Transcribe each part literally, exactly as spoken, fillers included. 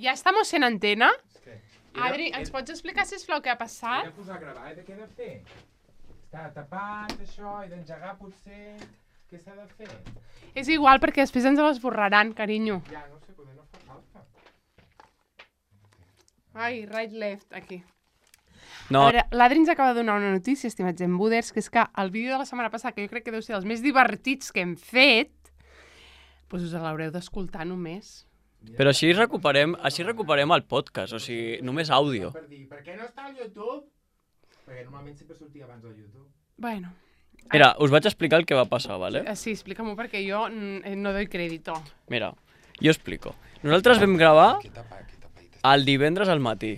Ja estamos en antena. Adri, ens pots explicar, sisplau, què ha passat? He de posar a gravar, i què he de fer? Està tapat, això, he d'engegar, potser... Què s'ha de fer? És igual, perquè després ens l'esborraran, carinyo. Ja, no sé, poder no fa falta. Ai, right, left, aquí. No. A veure, l'Adri ens acaba de donar una notícia, estimats embuders, que és que el vídeo de la setmana passada, que jo crec que deu ser dels més divertits que hem fet, doncs us l'haureu d'escoltar només. Però així recuperem, així recuperem el podcast, o sigui, només àudio. Per dir, per què no està al YouTube? Perquè normalment sempre sortia abans al YouTube. Bueno. Mira, us vaig explicar el que va passar, ¿vale? Sí, explica-m'ho perquè jo no doy crédito. Mira, jo explico. Nosaltres vam gravar el divendres al matí,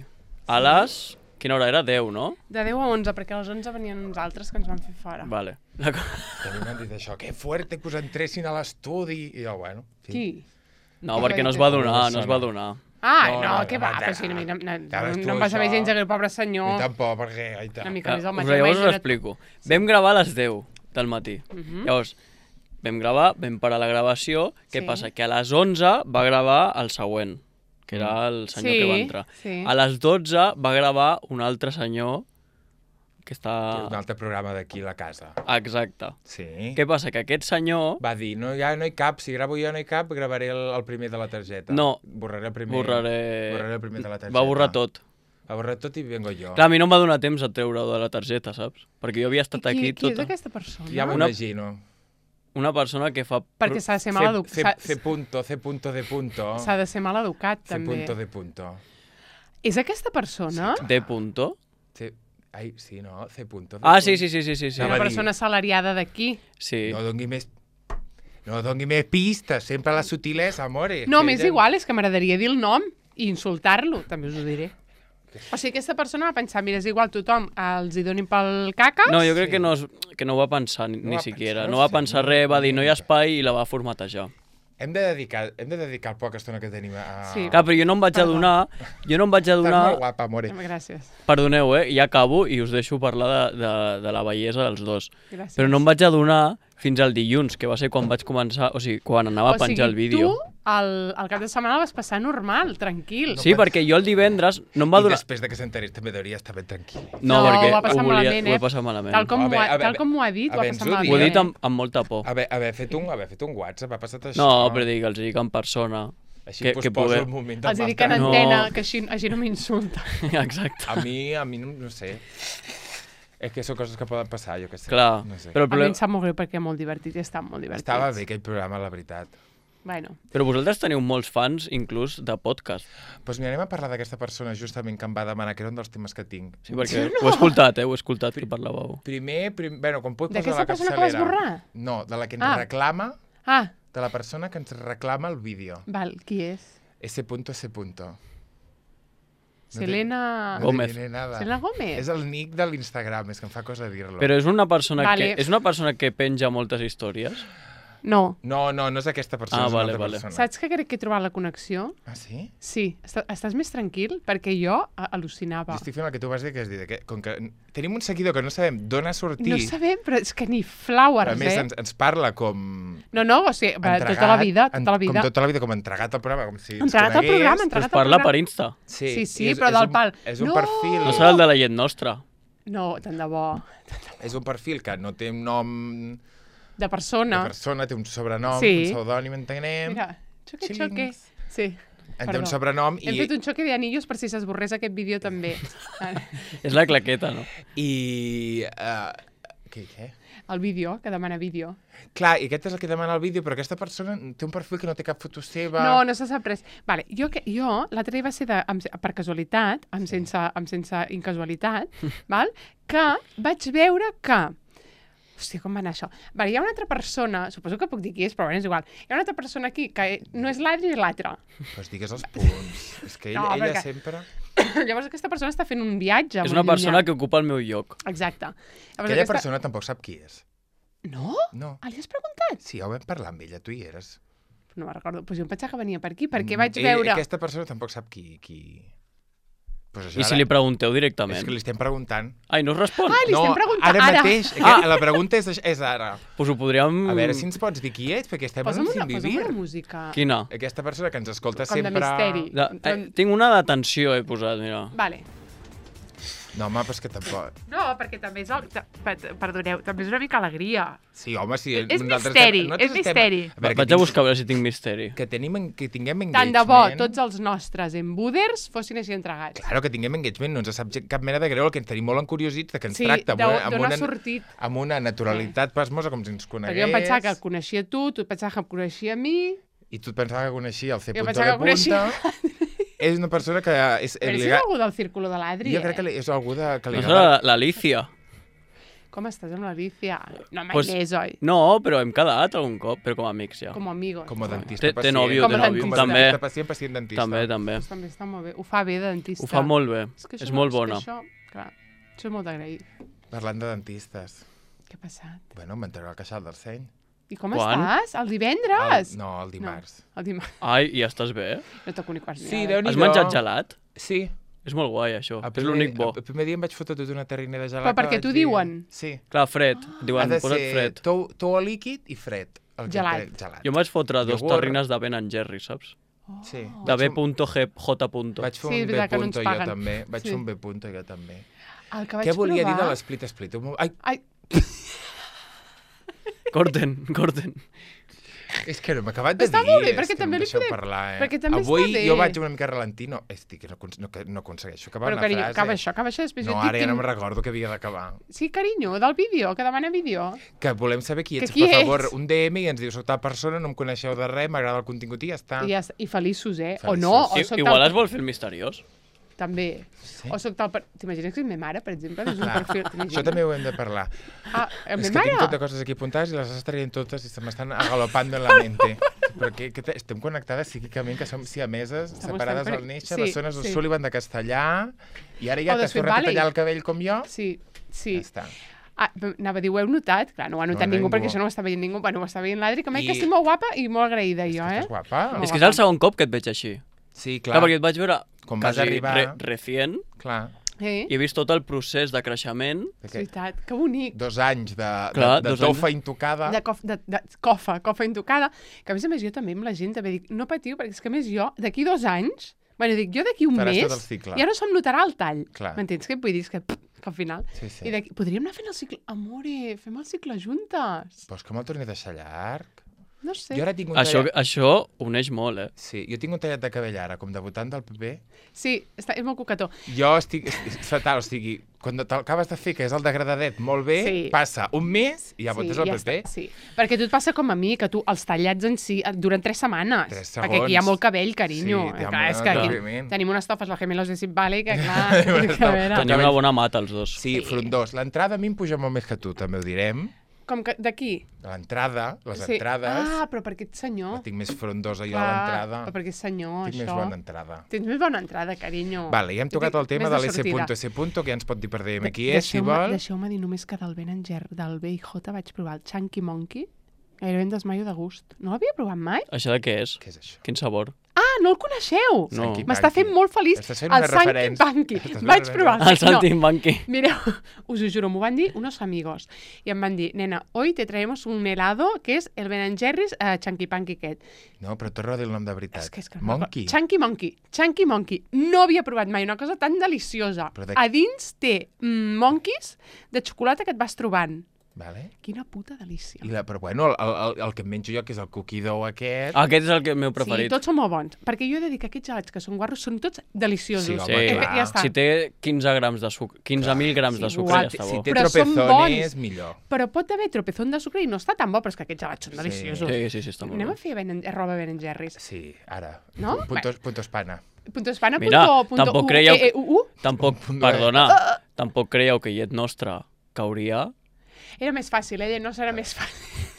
a les... Quina hora era? deu, no? De deu a onze, perquè a les onze venien uns altres que ens van fer fora. Vale. A mi m'han dit això, que fuerte que us entressin a l'estudi. I jo, bueno... Sí. Qui? No, perquè no es va donar, no es va donar. Ah, No, no, no, què no, va? no, Però si no, no, no, Sabes tu no em va saber això? gens que el pobre senyor... I tampoc, perquè... Ai, Una mica més al Uh, matí. llavors us imagina't. explico. Vam gravar a les deu del matí. Mhm. Llavors, vam gravar, vam parar la gravació. Què Sí. passa? Que a les onze va gravar el següent, que era el senyor Sí, que va entrar. sí. A les dotze va gravar un altre senyor que està... Un altre programa d'aquí a la casa. Exacte. Sí. Què passa? Que aquest senyor... Va dir, no, ja no hi cap, si gravo jo no hi cap, gravaré el, el primer de la targeta. No. Borraré el primer. Borraré... Borraré el primer de la targeta. Va borrar tot. Va borrar tot i vengo jo. Clar, a mi no em va donar temps a treure-ho de la targeta, saps? Perquè jo havia estat I qui, aquí qui és tota... aquesta persona? Ja m'ho Una- imagino. Una persona que fa... Perquè s'ha de ser C, mal C, educat. C punto, C punto de punto. S'ha de ser mal educat, C també. punto de punto. És aquesta persona? De punto? C... Ai, sí, no? C punto. Ah, sí, sí, sí, sí, sí. sí. Una Anava a dir- persona assalariada d'aquí. Sí. No dongui més... No dongui més pistes, sempre la sutilesa, amore. No, Que m'és ella- igual, és que m'agradaria dir el nom i insultar-lo, també us ho diré. O sigui, aquesta persona va pensar, mira, és igual, tothom els hi donin pel caca. No, jo crec Sí. que no, es, que no ho va pensar ni, No ni va siquiera. pensar, No va sí, pensar no, res, va no, dir no hi no. ha espai i la va formatejar. Hem de dedicar, hem de dedicar el poca estona que tenim a... Sí. Clar, però jo no em vaig Perdó. adonar... Jo no em vaig Estàs adonar... molt guapa, amore. Gràcies. Perdoneu, eh? Ja acabo i us deixo parlar de, de, de la bellesa dels dos. Gràcies. Però no em vaig adonar fins al dilluns, que va ser quan vaig començar... O sigui, quan anava a penjar el vídeo. O sigui, tu el, el cap de setmana el vas passar normal, tranquil. Sí, perquè jo el divendres no em va I donar... després de que s'enterés també hauria estar ben tranquil. No, No, perquè ho va passar ho, volia, malament, ho eh? he passat malament. Tal com, A m'ho veure, ha, a veure, tal com m'ho ha dit, a ho ha veure, passat ens ho malament. Ho he dit eh? amb, amb molta por. Haver, haver, fet un, haver fet un WhatsApp, ha passat això. No, però dic, els dic en persona. Així que, pues, que poso poder... el moment Els hi del dic en mal No. antena, que així, així no m'insulta. Exacte. A mi, a mi no, no sé. És que són coses que poden passar, jo què sé. Clar, No sé. però, A el mi problema... em sap molt greu perquè és molt divertit i està molt divertit. Estava bé aquell programa, la veritat. Bueno, però vosaltres teniu molts fans, inclús, de podcast. Doncs pues mira, anem a parlar d'aquesta persona justament que em va demanar, que era un dels temes que tinc. Sí, perquè ho he escoltat, eh? Ho he escoltat que parlàveu. Primer, prim... bueno, quan puc posar D'aquesta la persona capçalera... que vas borrar? No, de la que ens Ah. reclama, ah, de la persona que ens reclama el vídeo. val, qui és? S punto, S punto. No té- Selena... No Gómez. te diré nada. Selena Gómez? És el nick de l'Instagram, és que em fa cosa dir-lo. Però és una persona Vale. que és una persona que penja moltes històries. No. No, no, no és aquesta persona, Ah, és una vale, altra vale. persona. Saps que crec que he trobat la connexió? Ah, sí? Sí. Està, estàs més tranquil? Perquè jo a- al·lucinava. Jo estic fent el que tu vas dir, que és dir, que, com que tenim un seguidor que no sabem d'on ha sortit, No sabem, però és que ni flowers, a més eh? ens, ens parla com... No, no, o sigui, va, entregat, tota la vida, tota la en- vida. Com tota la vida, com entregat al programa, com si ens Entregat al conegués. programa, Però entregat es al parla programa. per Insta. Sí, Sí, sí, i és, però és del un, pal. És un No! perfil... No serà el de la llet nostra. No, tant de bo. És un perfil que no té un nom De persona. de persona, té un sobrenom, Sí. un pseudònim, entenem. Mira, xoque, Xilings. xoque. Sí, En té perdó. un sobrenom Hem i, fet un xoque d'anillos per si s'esborrés aquest vídeo també. És la claqueta, no? i uh, què, què? El vídeo, que demana vídeo. Clar, i aquest és el que demana el vídeo, però aquesta persona té un perfil que no té cap foto seva. No, no se sap res. Vale, jo, que, jo l'altre dia va ser de, amb, per casualitat, amb sense, amb sense incasualitat, val? Que vaig veure que... Hòstia, com va anar això? Vale, hi ha una altra persona, suposo que puc dir qui és, però bueno, és igual. Hi ha una altra persona aquí que no és l'Adri ni l'altre. Pues digues els punts. És que ella, No, ella perquè- sempre... Llavors aquesta persona està fent un viatge És molt una persona llunyà. que ocupa el meu lloc. Exacte. Llavors, Aquella aquesta... persona tampoc sap qui és. No? No. Ah, li has preguntat? Sí, ja ho vam parlar amb ella, tu hi eres. No me'n recordo. Pues jo em pensava que venia per aquí, perquè Mm, vaig ella- veure... Aquesta persona tampoc sap qui... qui... Pues I si li pregunteu directament? És que li estem preguntant. Ai, no us respon? Ai, li estem preguntant ara. ara. mateix. Ah. La pregunta és, és ara. Pues ho podríem... A veure si ens pots dir qui ets, perquè estem Posa'm en una, sin posa'm vivir. una música. Quina? Aquesta persona que ens escolta Com de sempre... misteri. De, eh, tinc una d'atenció, he posat, mira. Vale. No, home, però és que tampoc... No, perquè també és... El... Perdoneu, també és una mica alegria. Sí, home, sí. És nosaltres misteri, estem- nosaltres és estem- misteri. A veure, Vaig que a buscar a veure si tinc misteri. Que, tenim, en- que tinguem Tant engagement... de bo tots els nostres embuders fossin així entregats. Claro, que tinguem engagement, no ens sap gen- cap mena de greu, el que ens tenim molt encuriosits, de que ens Sí, tracta amb d'on- una, amb, d'on ha una, sortit. amb una naturalitat pasmosa, com si ens conegués. Perquè jo em pensava que el coneixia tu, tu et pensava que em coneixia a mi... I tu et pensava que coneixia el C. Jo Punto pensava de que coneixia punta. És una persona que... És, Però si és algú del círculo de l'Adri, Jo crec eh? que li- és algú de... Que li No agrada- serà l'Alicia? Com estàs amb l'Alicia? No, mai Pues- més, oi? No, però hem quedat algun cop, però com a amics ja. Com a amigos. Com a dentista Té- té pacient. nòvio, té nòvio, Com a també. dentista pacient, pacient dentista. També, també. Pues també està molt bé. Ho fa bé de dentista. Ho fa molt bé. que És això molt no- bona. És que això, clar, això és molt d'agrair. Parlant de dentistes. Què ha passat? Bueno, em treu el queixal del seny. I com Quan? estàs? El divendres? El, no, el dimarts. El dimarts. Ai, i ja estàs bé? No toco ni quarts Sí, ni Déu-n'hi-do. Has menjat gelat? Sí. És molt guai, això. El És primer- l'únic bo. El primer dia em vaig fotre tota una terrina de gelat. Però perquè que vaig t'ho dir- diuen? Sí. Clar, fred. Ha Diuen, de posa't ser fred. tou, tou a líquid i fred. El que Gelat. té- gelat. Jo em vaig fotre dos Iogurt. terrines de Ben and Jerry, saps? Sí. De Vaig B fer un- G J. Vaig fer Sí, és un B veritat que no ens punto jo paguen. també. Vaig Sí. fer un B punto jo també. El que vaig Què volia provar... dir de l'esplit split? Un mo- Ai, Ai, Corten, corten. és que no m'ha acabat de Està dir. molt bé, és perquè que també em li deixeu podem- parlar, eh? perquè també Avui està bé. jo vaig una mica ralentí, no, estic, que no, acon- no, que no aconsegueixo acabar però una carinyo, frase. acaba això, acaba això, després No, jo et ara dic ja no quin- me'n recordo que havia d'acabar. Sí, carinyo, del vídeo, que demana vídeo. Que volem saber qui Que ets, qui per favor, ets? un D M i ens dius, soc tal persona, no em coneixeu de res, m'agrada el contingut i ja està. I, ja, està. I feliços, eh? O Feliços. no, o I, soc igual tal... es vol fer el misteriós. També. Sí. O soc tal... Per... T'imagines que és ma mare, per exemple? És un Clar, perfil... t'imagines? això també ho hem de parlar. Ah, el És meu que tinc mare? totes coses aquí apuntades i les estàs traient totes i se m'estan agalopando en la mente. Però que, que te- estem connectades psíquicament, que som siameses, Estamos separades tan al per- néixer, sí, les zones del sí. Sullivan de castellà, i ara ja O de t'has Sweet tornat a Valley. tallar el cabell com jo. Sí, sí. Ja està. Ah, anava a dir, ho heu notat? Clar, no ho ha notat No, ningú, ningú. perquè això no ho està veient ningú. Bueno, ho està veient l'Adri, que m'he I- que estic molt guapa i molt agraïda, jo, Que eh? estàs guapa. No. És que és el segon cop que et veig així. Sí, Clar, clar. perquè et vaig veure Quan vas quasi arribar- re recient Clar. Eh? i he vist tot el procés de creixement. És Perquè veritat, que bonic. dos anys de, Clar, de, de dos tofa anys. intocada. De, cof, de, de cofa, cofa intocada, que a més a més jo també amb la gent també dic, no patiu, perquè és que a més jo, d'aquí dos anys, bueno, dic, jo d'aquí un Faràs mes, tot el cicle. ja no se'm notarà el tall. Clar. M'entens què et vull dir? És que, pff, que al final... Sí, sí. I d'aquí, podríem anar fent el cicle... Amore, fem el cicle juntes. Vols que me'l torni a deixar llarg? No sé. Jo ara tinc un Això, tallat... això uneix molt, eh? Sí, jo tinc un tallat de cabell ara, com debutant del P P. Sí, està, és molt coquetó. Jo estic és, és fatal, o sigui, quan t'acabes de fer, que és el degradadet, molt bé, Sí. passa un mes i ja votes el ja P P. està, sí, perquè a tu et passa com a mi, que tu els tallats en si et duren tres setmanes. Tres Perquè aquí hi ha segons. molt cabell, carinyo. Sí, té clar, és molt que aquí moviment. tenim unes tofes, la Gemelos de Sip Valley, que clar, Tenim unes que a tofes. veure... Tenia una bona mata, els dos. Sí, Sí. frondós. L'entrada a mi em puja molt més que tu, també ho direm. Com que d'aquí? L'entrada, les Sí. entrades, Ah, però perquè ets senyor. la tinc més frondosa jo a Clar, l'entrada. Però perquè ets senyor, Tinc més això. bona entrada. Tens més bona entrada, carinyo. Vale, ja hem tocat el tema Més de l'S sortida. punto S punto, que ja ens pot dir per D M De- qui és, si deixeu-me- vol. Deixeu-me dir només que del Ben and Jerry, del B i J vaig provar el Chunky Monkey. Gairebé em desmaio de gust. No l'havia provat mai? Això de què és? Què és això? Quin sabor? Ah, no el coneixeu! No. Sanky M'està Panky. fent molt feliç Estàs fent el una Sanky referència. Panky. Estàs fent Vaig una provar El Santi Banqui. Mireu, us ho juro, m'ho van dir unos amigos. I em van dir, nena, hoy te traemos un helado que és el Ben and Jerry's uh, Chunky Panky aquest. No, però torna a dir el nom de veritat. És que, és que no me'n Monkey. recordo. Chunky Monkey. Chunky Monkey. No havia provat mai una cosa tan deliciosa. Però de- A dins té mm, monkeys de xocolata que et vas trobant. Vale. Quina puta delícia. I la, però bueno, el, el, el que em menjo jo, que és el cookie dough aquest... Aquest és el que- meu Sí, preferit. tots són molt bons. Perquè jo he de dir que aquests gelats que són guarros són tots deliciosos. Sí, home, Sí, Eh, clar. ja està. Si té quinze grams de sucre, quinze mil grams Sí, de sucre, igual. ja està Si bo. té Però són tropezones, bons. millor. Però pot haver tropezón de sucre i no està tan bo, però és que aquests gelats són Sí. deliciosos. Sí, sí, sí, està molt Anem bé. a fer ben, roba Ben and Jerry's. Sí, ara. No? Puntos, puntos pana. Punto espana, Mira, punto, punto tampoc u, creieu e, e, u, u. Tampoc, Punt de- perdona, tampoc creieu que llet nostra cauria? Era més fàcil, eh? No serà més fàcil.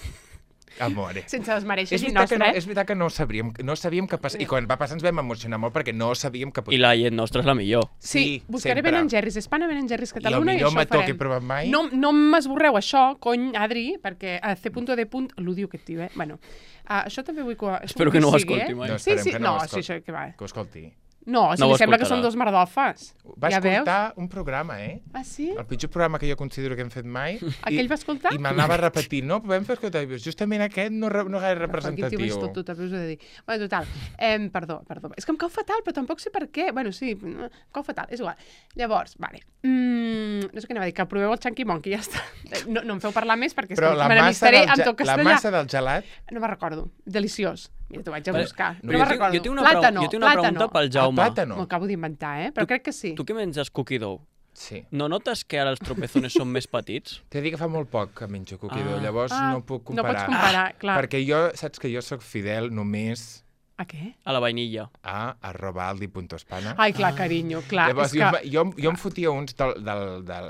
Amore. Sense desmereixer És gent veritat, que no, nostra, és veritat que no sabíem, no sabíem que passava. I quan va passar ens vam emocionar molt perquè no sabíem que... I la llet nostra és la millor. Sí, Sí, buscaré sempre. Ben and Jerry's, Espana Ben and Jerry's I el Catalunya i, millor això ho mató farem. que he provat mai... No, no m'esborreu això, cony, Adri, perquè a C punto D punt, l'odio aquest tio, eh? Bueno, uh, això també vull que... això Espero vull que no ho sigui, escolti eh? mai. No, Sí, esperem sí, que no no, ho sí, escolti. això que va. Que ho escolti. No, si No li ho sembla que escoltarà. són dos merdofes. Va Ja veus? escoltar un programa, eh? Ah, sí? El pitjor programa que jo considero que hem fet mai. Aquell va escoltar? I m'anava repetint, no, vam fer escoltar, justament aquest no, re, no gaire Quin tio més representatiu. tot, també us he de dir. Bueno, total, eh, perdó, perdó. És que em cau fatal, però tampoc sé per què. Bueno, sí, no, em cau fatal, és igual. Llavors, vale. Mm, no sé què anava a dir, que proveu el Chunky Monkey, ja està. No, no em feu parlar més perquè és Però que la me massa, n'amistaré del, amb ge- tot la castellà. massa del gelat, No me'n recordo. Deliciós. Mira, t'ho vaig a Vale. buscar. No, No, jo me'n tinc- recordo. jo tinc una preu- Plàtano, jo tinc una plàtano. pregunta pel el Jaume. plàtano. M'ho acabo d'inventar, eh? Però crec que sí. Tu que menges cookie dough, Sí. no notes que ara els tropezones són més petits? T'he de dir que fa molt poc que menjo cookie dough, Ah. llavors Ah, no puc no comparar. pots comparar, clar. Perquè jo, saps que jo sóc fidel només A què? A la vainilla. a arroba aldi punto espana. Ai, clar, carinyo, clar. Llavors, és jo, que... jo, jo em fotia uns del, del, del,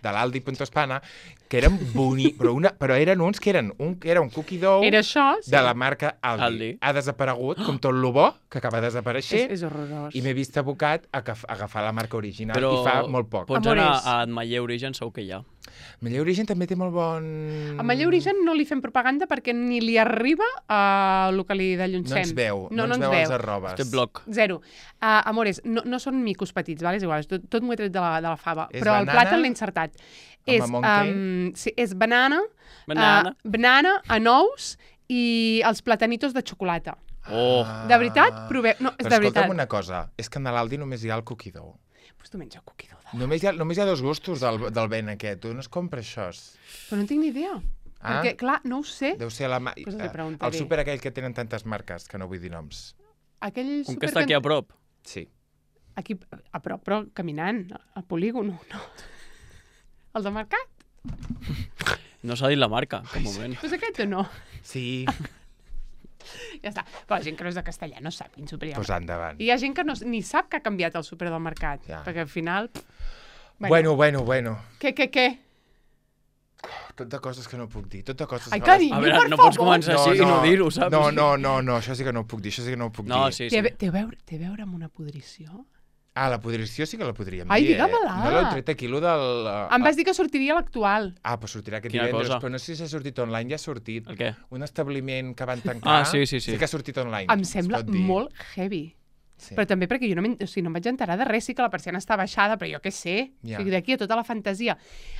de l'aldi punto espana que eren bonics, però, una, però eren uns que eren un, era un cookie dough Era això, sí. de la marca Aldi. Aldi. Ha desaparegut, com tot lo bo, que acaba de És, desaparèixer, és horrorós. i m'he vist abocat a agaf- a agafar la marca original, Però i fa molt poc. pots Amores. anar a Admaller Origen, segur que hi ha. Malleu Origen també té molt bon... A Malleu Origen no li fem propaganda perquè ni li arriba a el que li delluncem. No ens veu, no, no, ens no veu ens els veu. arrobes. Té bloc. Zero. Uh, amores, no, no són micos petits, vale? És igual, és tot, tot m'ho he tret de la, de la fava. És però el banana plàtan l'he encertat. amb És, a monkey? um, sí, és banana, Banana. Uh, banana, anous i els platanitos de xocolata. Oh. De veritat, proveu... No, és Però de escolta'm veritat. una cosa, és que a l'Aldi només hi ha el cookie dough. Pues tu menja cookie dough. de- Només hi ha, només hi ha dos gustos del, del ben aquest, tu no es compra això. Però no en tinc ni idea. Ah. Perquè, clar, no ho sé. Deu ser la... Ma... Pues els hi eh, preguntaré. el súper aquell que tenen tantes marques, que no vull dir noms. Aquell Un súper que està aquí a prop. Sí. Aquí, a prop, però caminant, al polígon, no. El de mercat? No s'ha dit la marca, cap moment. Pues aquest o no? Sí, Ja està. Però la gent que no és de castellà no sap quin súper hi ha. doncs endavant. I hi ha gent que no, ni sap que ha canviat el súper del mercat. Ja. Perquè al final... Bueno, bueno, bueno. Què, què, què? Tot de coses que no puc dir, tot de coses Ai, que... carinyo, A veure, per no pots favor. començar així i no dir-ho, saps? No, no, no, no, això sí que no ho puc dir, això sí que no ho puc No, dir. sí, Té, sí. a ve- té, a veure, té a veure amb una podrició? Ah, la podrició sí que la podríem Ai, dir, eh? digue-me-la. No l'heu tret aquí, lo del... uh, Em vas dir que sortiria l'actual. Ah, però sortirà aquest Quina divendres, cosa? però no sé si s'ha sortit online, ja ha sortit. El què? Un establiment que van tancar... Ah, sí, sí, sí. Sí que ha sortit online. Em es sembla pot dir. molt heavy. Sí. Però també perquè jo no, o sigui, no em vaig enterar de res, sí que la persiana està baixada, però jo què sé, Ja. o sigui, d'aquí a tota la fantasia.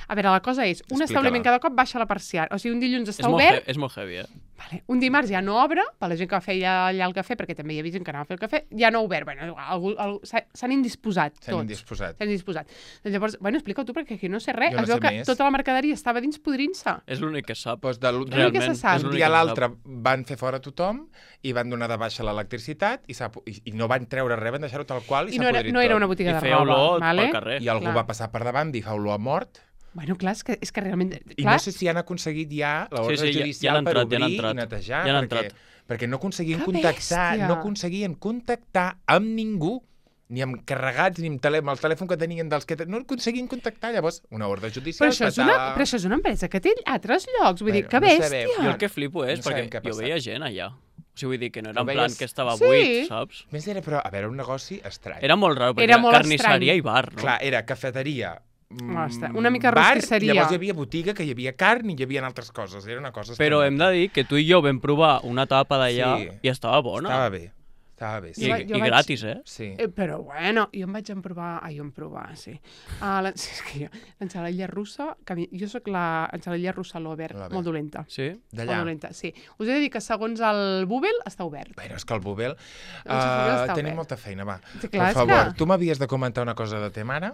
A veure, la cosa és, un Explica-la. establiment cada cop baixa la persiana, o sigui, un dilluns És està molt, obert, he, és molt heavy, eh? vale. Un dimarts ja no obre, per la gent que feia allà el cafè, perquè també hi havia gent que anava a fer el cafè, ja no ha obert, bueno, algú, algú, s'ha- s'han indisposat S'han tots. indisposat. S'han indisposat. Doncs llavors, bueno, explica-ho tu, perquè aquí no sé res, Jo no es veu sé que més. tota la mercaderia estava dins podrint-se. És l'únic que sap. Doncs de l'últim Realment, Realment, se sap. és un l'únic dia a que l'altre sap. van fer fora tothom i van donar de baixa l'electricitat i, s'ha pu- i, i no van treure res, van deixar-ho tal qual i, I s'ha no era, podrit no era tot. una botiga I de feia roba, olor vale? pel carrer. I algú Clar. va passar per davant i fa olor a mort. Bueno, clar, és que, és que realment... I Clar, no sé si han aconseguit ja l'ordre Sí, sí, ja- ja judicial l'han per entrat, ja l'han obrir entrat. i netejar, Ja l'han perquè, entrat. perquè no aconseguien Que contactar, bèstia! no aconseguien contactar amb ningú, ni amb carregats, ni amb, tele, amb el telèfon que tenien dels que... No aconseguien contactar, llavors, una ordre judicial... però això, és una, però això és una empresa que té altres llocs, vull dir, Bueno, que no bèstia! sabem. Jo el que flipo és No sabem perquè què ha jo passat. veia gent allà. O sigui, vull dir que no era Ho en plan veies? que estava Sí. buit, saps? Més era, però, a veure, un negoci estrany. Era molt raro, perquè Era era, molt carnisseria estrany. i bar, no? Clar, era cafeteria, mm, Ostres, una mica bar, rostisseria. llavors hi havia botiga, que hi havia carn i hi havia altres coses. Era una cosa Però estranya. hem de dir que tu i jo vam provar una tapa d'allà Sí. i estava bona. Estava bé, estava bé, I, sí. Jo vaig- i gratis, eh? sí. Eh, però bueno, jo em vaig emprovar... Ai, jo em provar, sí. Uh, la, sí, és que jo, l'ensaladilla russa... Que a mi, jo sóc l'ensaladilla russa lover, Lover. molt dolenta. Sí? Molt D'allà. dolenta, sí. Us he de dir que segons el Bubel està obert. Bueno, és que el Bubel... El Bubel Uh, està tenim obert. molta feina, va. Sí, clar, per és favor, que- tu m'havies de comentar una cosa de te mare,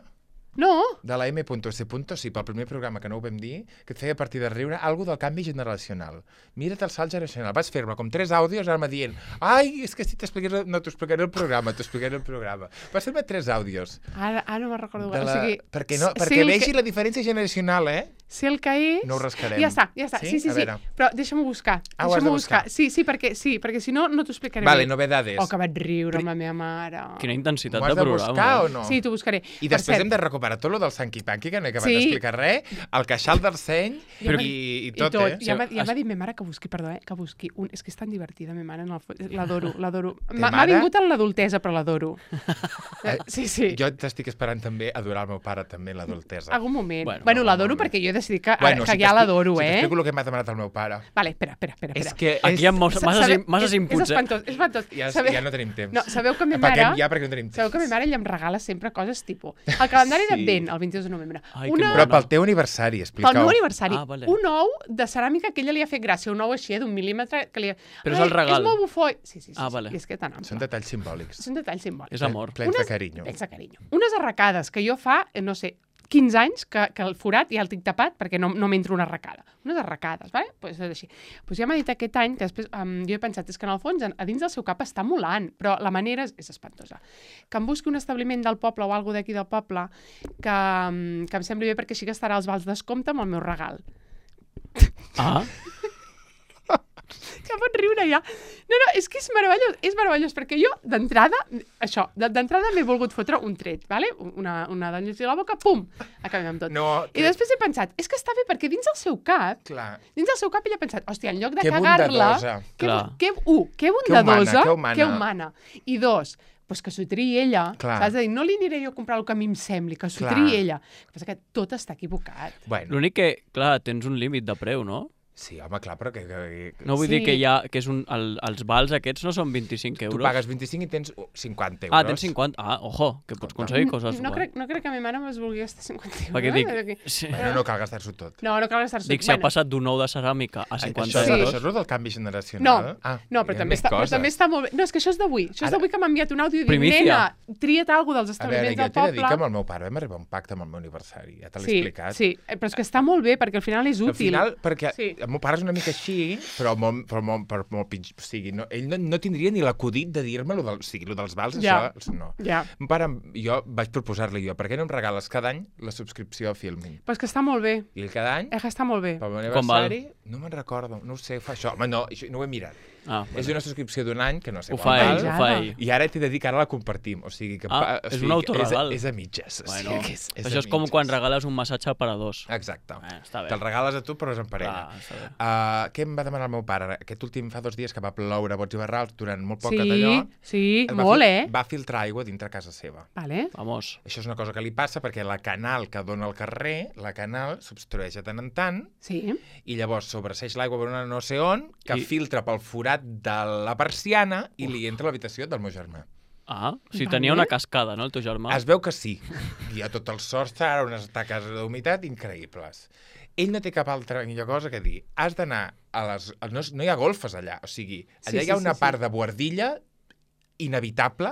No, de la M punto S. Sí, pel primer programa que no ho vam dir, que et feia a partir de riure, algo del canvi generacional. Mira't el salt generacional. Vas fer-me com tres àudios, ara me dient ai, és que si t'expliqués... No, t'ho explicaré el programa, t'ho explicaré el programa. Vas fer-me tres àudios. ara, ara no me'n recordo. De O la... sigui, perquè no, sé perquè el vegi que, la diferència generacional, eh? sé el que és... No ho rascarem. Ja està, ja està. Sí? Sí, sí, A sí. veure. Però deixa'm-ho buscar. Ah, ho has de Deixa'm-ho buscar. Sí, sí, perquè, sí, perquè si no, no t'ho explicaré Vale, bé. novedades. Oh, que vaig riure amb la meva mare. Quina intensitat M'ho has de de programa. buscar eh? o no? Sí, t'ho buscaré. I Per després cert, hem de recuperar tot lo del Sanky Panky, que no he acabat Sí. d'explicar res, el queixal del seny Ja i, m'ha- i, I tot, tot. eh? Ja m'ha Sí, ja es- m'ha dit ma mare que busqui, perdó, eh? Que busqui un... És que és tan divertida, ma mare, en el fons. L'adoro, l'adoro. M'ha m'ha mare? vingut en l'adultesa, però l'adoro. Eh, Sí, sí. Jo t'estic esperant també adorar el meu pare, també, l'adultesa. Algun moment. Bueno, Bueno, no, l'adoro molt bé. perquè jo he de decidir que, ara, Bueno, que si ja t'expli- l'adoro, Si eh? t'explico el que m'ha demanat el meu pare. Vale, espera, espera, espera. És espera. que... Aquí hi ha mos- Sa- masses, sabeu- masses és, inputs, és espantós, és espantós. Ja, Sabeu- ja no tenim temps. No, sabeu que ma Apaguem mare... ja perquè no tenim temps. Sabeu que ma mare ella em regala sempre coses tipus el calendari Sí. d'Advent, el vint-i-dos de novembre. Ai, que Una... mono. Però pel teu aniversari, Pel explica-ho. meu aniversari, Ah, vale. un ou de ceràmica que ella li ha fet gràcia, un ou així, eh, d'un mil·límetre, que li ha... Però és Ai, el regal. És molt bufó. Sí, sí, sí. Ah, sí. vale. I és que tan ample. Són detalls simbòlics. Són detalls simbòlics. És amor. Plens de Unes- carinyo. Plens de carinyo. Unes arracades que jo fa, eh, no sé, quinze anys que, que el forat ja el tinc tapat perquè no, no m'entra una arracada. Unes arracades, vale? Pues és així. Pues ja m'ha dit aquest any que després um, jo he pensat, és que en el fons a dins del seu cap està molant, però la manera és, és espantosa. Que em busqui un establiment del poble o alguna d'aquí del poble que, um, que em sembli bé perquè així que estarà als vals descompte amb el meu regal. Ah, Que pot riure ja. No, no, és que és meravellós, és meravellós, perquè jo, d'entrada, això, de- d'entrada m'he volgut fotre un tret, vale? Una, una d'anyes a la boca, pum, acabem amb tot. No, I després he pensat, és que està bé, perquè dins del seu cap, Clar. dins del seu cap ella ha pensat, hòstia, en lloc de Que cagar-la... bondadosa. Que, Clar. bu- que, uh, que humana, bondadosa, que humana. que humana. I dos, pues que s'ho triï ella, Clar. saps? De dir, no li aniré jo a comprar el que a mi em sembli, que s'ho Clar. triï ella. El que passa que tot està equivocat. Bueno, l'únic que, clar, tens un límit de preu, no? sí, home, clar, però que... que, que No vull Sí. dir que hi ha, que és un, el, els vals aquests no són vint-i-cinc tu euros. pagues vint-i-cinc i tens cinquanta euros. Ah, tens cinquanta. Ah, ojo, que pots aconseguir coses. no, guai. crec, no crec que a mi mare es vulgui gastar cinquanta euros. Perquè dic, eh? sí. Bueno, no cal gastar-s'ho tot. No, no cal gastar-s'ho. Dic, si ha passat d'un ou de ceràmica a Ai, cinquanta això, Sí. euros... això és el del canvi generacional? No, ah, no, però hi ha també, més està, però coses. també està molt bé. No, és que això és d'avui. Això és Ara- d'avui que m'ha enviat un àudio i dic, Primícia. nena, tria't alguna dels A veure, establiments jo del t'he de dir poble. que amb el meu pare vam arribar a un pacte amb el meu aniversari. Ja te l'he Sí, explicat. sí, eh, però és que està molt bé, perquè al final és Al útil. final, perquè Sí. el meu pare és una mica així, però molt, però molt, però molt pitjor. O sigui, no, ell no, no tindria ni l'acudit de dir-me lo, del, o sigui, lo dels vals, Ja. això no. Ja, Mon pare, jo vaig proposar-li jo, per què no em regales cada any la subscripció a Filmin? però és que està molt bé. I cada any, Eh, que està molt bé. pel meu Com val? aniversari, no me'n recordo, no ho sé, fa això. Home, no, això no ho he mirat. Ah, És una subscripció d'un any, que no sé ho quan fa ell, val. ho fa ell. I ara t'he de dir que ara la compartim, o sigui que... Ah, pa- o és sigui, un autoregal. És, és a mitges. o Bueno, sigui que és, és això a és com mitges. quan regales un massatge per a dos. Exacte. Eh, està bé. Te'l regales a tu, però és en parella. Clar, està bé. Uh, què em va demanar el meu pare? Aquest últim fa dos dies que va ploure bots i barrals durant molt poc Sí, d'allò. sí, va molt, fil- eh? Va filtrar aigua dintre casa seva. Vale. Vamos. Això és una cosa que li passa perquè la canal que dona al carrer, la canal s'obstrueix de tant en tant Sí. i llavors sobreseix l'aigua per una no sé on que I- filtra pel forat de la persiana i li entra a l'habitació del meu germà. Ah, o sigui, Vale. tenia una cascada, no, el teu germà? Es veu que sí. Hi ha tot el sostre, ara unes taques d'humitat increïbles. Ell no té cap altra millor cosa que dir. Has d'anar a les... No, és- no hi ha golfes allà. O sigui, allà Sí, hi ha sí, una sí, part sí. de buhardilla inevitable,